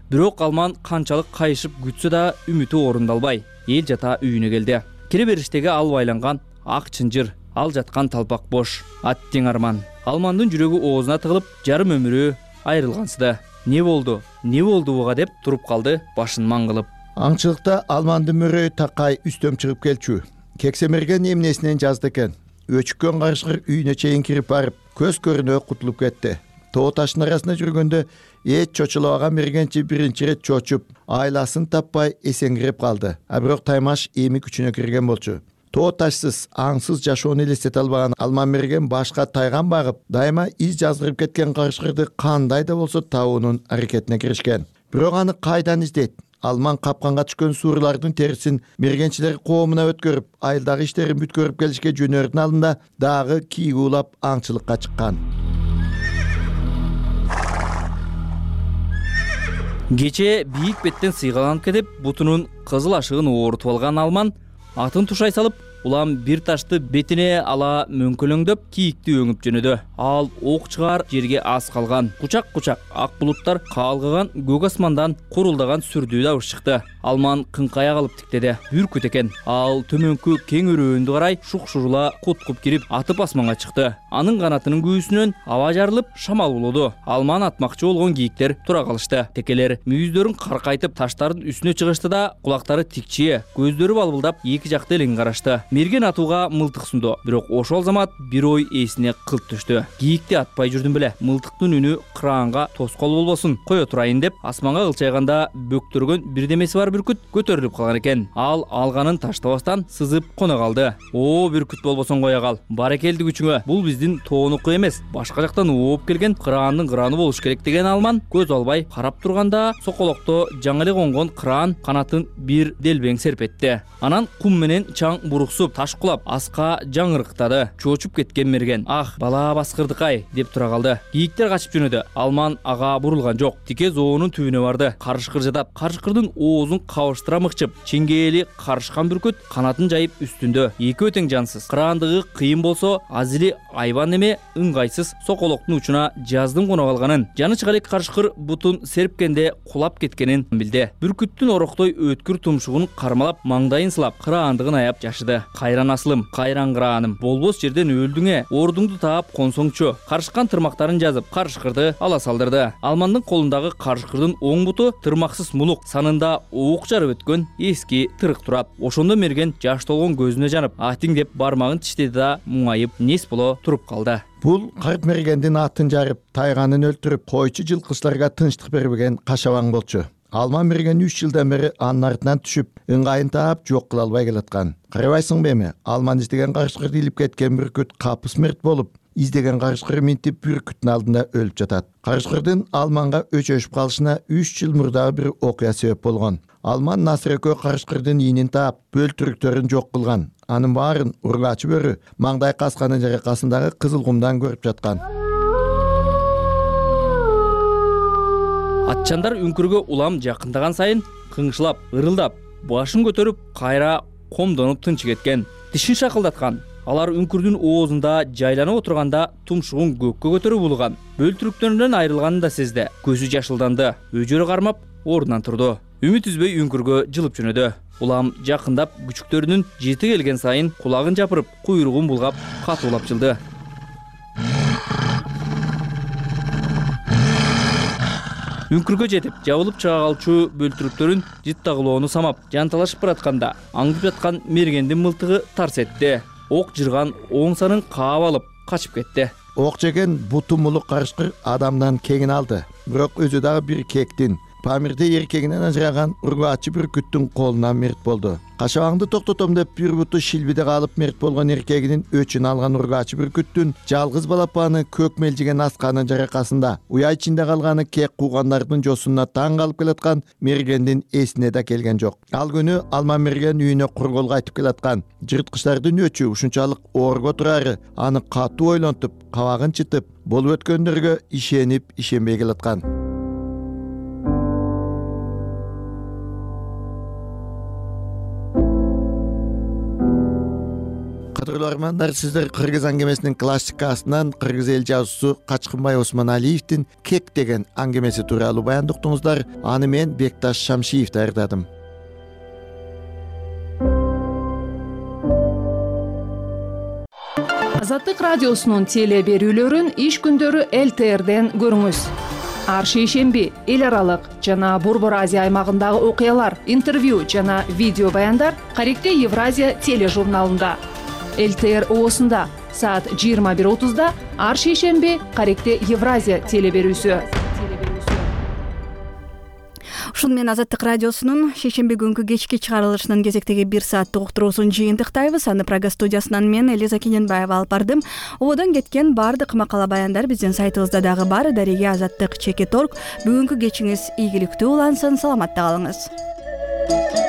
Бирок Алман канчалык кайышып күтсө да үмүтү орундалбай, эл жата үйүнө келди. Кире бериштеги ал байланган ак чынжыр, ал жаткан талпак бош, ат тең арман. Алмандын жүрөгү оозуна тыгылып, жарым өмүрү айрылгансыды. Не болду? Не болду буга деп туруп калды, башын маңгылып. Аңчылыкта Алмандын мөрөй такай үстөм чыгып келчү. Кексемерген эмнесинен жазды экен. Өчүккөн карышкыр үйүнө чейин кирип барып, көз көрүнө кутулуп кетти. Тоо таштын арасында жүргөндө эч чочулабаган мергенчи биринчи ирет чочуп, айласын таппай эсеңгирип калды. А бирок таймаш эми күчүнө кирген болчу. Тоо ташсыз, аңсыз жашоону элестете албаган Алман мерген башка тайган багып, дайыма из жаздырып кеткен карышкырды кандай да болсо табуунун аракетине киришкен. Бирок аны кайдан издейт? Алман капканга түшкөн суурлардын терисин мергенчилер коомуна өткөрүп, айылдагы иштерин бүткөрүп келишке жөнөрдүн алдында дагы кийик уулап аңчылыкка чыккан. Кече бийик беттен сыйгаланып кетип, бутунун кызыл ашыгын оорутуп алган Алман атын тушай салып, улам бир ташты бетине ала мөңкөлөңдөп кийикти өңүп жөнөдү. Ал ок чыгар жерге аз калган. Кучак-кучак ак булуттар каалгыган көк асмандан курулдаган сүрдүү дабыш чыкты. Алман кыңкая калып тиктеди. Бүркүт экен. Ал төмөнкү кең өрөөндү карай шук-шурула куткуп кирип, атып асманга чыкты. Анын канатынын күүсүнөн аба жарылып, шамал болду. Алман атмакчы болгон кийиктер тура калышты. Текелер мүйүздөрүн каркайтып таштардын үстүнө чыгышты да, кулактары тикчие, көздөрү балбылдап эки жакты элең карашты. Мерген атууга мылтык сунду. Бирок ошол замат бир ой эсине кылт түштү. Кийикти атпай жүрдүм беле. Мылтыктын үнү кыраанга тоскоол болбосун, кое турайын деп асманга кылчайганда бөктөргөн бирдемеси бар бүркүт көтөрүлүп калган экен. Ал алганын таштабастан сызып кона калды. О, бүркүт болбосоң кое кал. Баракелди күчүңө. Бул биздин тоонуку эмес, башка жактан ооп келген кыраандын кырааны болуш керек деген Алман көз албай карап турганда соколокто жаңы эле конгон кыраан канатын бир делбең серпетти. Анан кум менен чаң буруксуп, таш кулап, аска жаңырыктады. Чочуп кеткен мерген. Ах, бала баскырдыкай деп тура калды. Кийиктер качып жөнөдү. Алман ага бурулган жок. Тике зоонун түбүнө барды. Карышкыр жатат. Карышкырдын оозун кабыштыра мыкчып, чеңгээли карышкан бүркүт канатын жайып үстүндө. Эки өтең жансыз. Кыраандыгы кыйын болсо, азили айбан эме ыңгайсыз соколоктун учуна жаздын кона калганын, жаны чыга элек карышкыр бутун серпкенде кулап кеткенин билди. Бүркүттүн ороктой өткүр тумшугун кармалап, маңдайын сылап, кыраандыгын аяп жашыды. Кайран асылым, кайран кырааным, болбос жерден өлдүңө, ордуңду таап консоңчу. Карышкан тырмактарын жазып, карышкырды ала салдырды. Алмандын колундагы карышкырдын оң буту тырмаксыз мулук, санында уук жарып өткөн эски тырык турат. Ошондо мерген жаш толгон көзүнө жанып, атиң деп бармагын тиштеди да муңайып, нес боло туруп калды. Бул карт мергендин атын жарып, тайганын өлтүрүп, койчу жылкычыларга тынчтык бербеген кашабаң болчу. Алман мерген үч жылдан бери анын артынан түшүп, ыңгайын таап жок кыла албай келаткан. Карабайсыңбы эми? Алман издеген карышкырды илип кеткен бүркүт капы смерт болуп, издеген карышкыры минтип бүркүттүн алдында өлүп жатат. Карышкырдын Алманга өчөшүп калышына үч жыл мурдагы бир окуя себеп болгон. Алман Насыр экөө карышкырдын ийинин таап, бөлтүрүктөрүн жок кылган. Анын баарын ургачы бөрү маңдай касканын жаракасындагы кызыл кумдан көрүп жаткан. Атчандар үңкүргө улам жакындаган сайын кыңшылап, ырылдап, башын көтөрүп, кайра комдонуп тынчы кеткен. Тишин шакылдаткан. Алар үңкүрдүн оозунда жайланып отурганда тумшугун көккө көтөрүп улган. Бөлтүрүктөрүнөн айрылганын да сезди. Көзү жашылданды. Өжөрү кармап, ордунан турду. Үмүт үзбөй үңкүргө жылып жөнөдү. Улам жакындап, күчүктөрүнүн жети келген сайын кулагын жапырып, куйругун булгап, катуулап жылды. Үңкүргө жетип, жабылып чыга калчу бөлтүрүктөрүн жыттагылоону самап, жанталашып баратканда, аңдып жаткан мергендин мылтыгы тарс этти. Ок жырган оң санын каап алып, качып кетти. ок жеген буту мулук карышкыр адамдан кеңин алды, бирок өзү дагы бир кектин. Памирде эркегинен ажыраган ургаачы бүркүттүн колунан мерт болду. Кашабаңды токтотом деп бир буту шилбиде калып мерт болгон эркегинин өчүн алган ургаачы бүркүттүн жалгыз балапаны көк мелжиген асканын жаракасында уя ичинде калганы кек куугандардын жосуна таң калып келаткан мергендин эсине да келген жок. Ал күнү алма мерген үйүнө кургол кайтып келаткан. Жырткычтардын өчү ушунчалык оорго турары аны катуу ойлонтуп, кабагын чытып, болуп өткөндөргө ишенип, ишенбей келаткан. Кадырлуу армандар, сиздер Кыргыз аңгемесинин классикасынан Кыргыз эл жазуусу Качкынбай Осмоналиевдин Кек деген аңгемеси тууралуу баян уктуңуздар. Аны мен Бекташ Шамшиев даярдадым. Азаттык радиосунун теле берүүлөрүн иш күндөрү эл тэ эрден көрүңүз. Ар шейшемби эл аралык жана Борбор Азия аймагындагы окуялар, интервью жана видео баяндар Каректе Евразия тележурналында. эл тэ эр оосунда саат жыйырма бир отузда ар шейшемби Каректе Евразия теле берүүсү. Ушун менен Азаттык радиосунун шейшемби күнкү кечки чыгарылышынын кезектеги бир сааттык уктуруусун жыйынтыктайбыз. Аны Прага студиясынан мен Элиза Кененбаева алып бардым. Ободон кеткен баардык макала баяндар биздин сайтыбызда дагы бар. Дареге Азаттык чекит точка орг. Бүгүнкү кечиңиз ийгиликтүү улансын, саламатта калыңыз.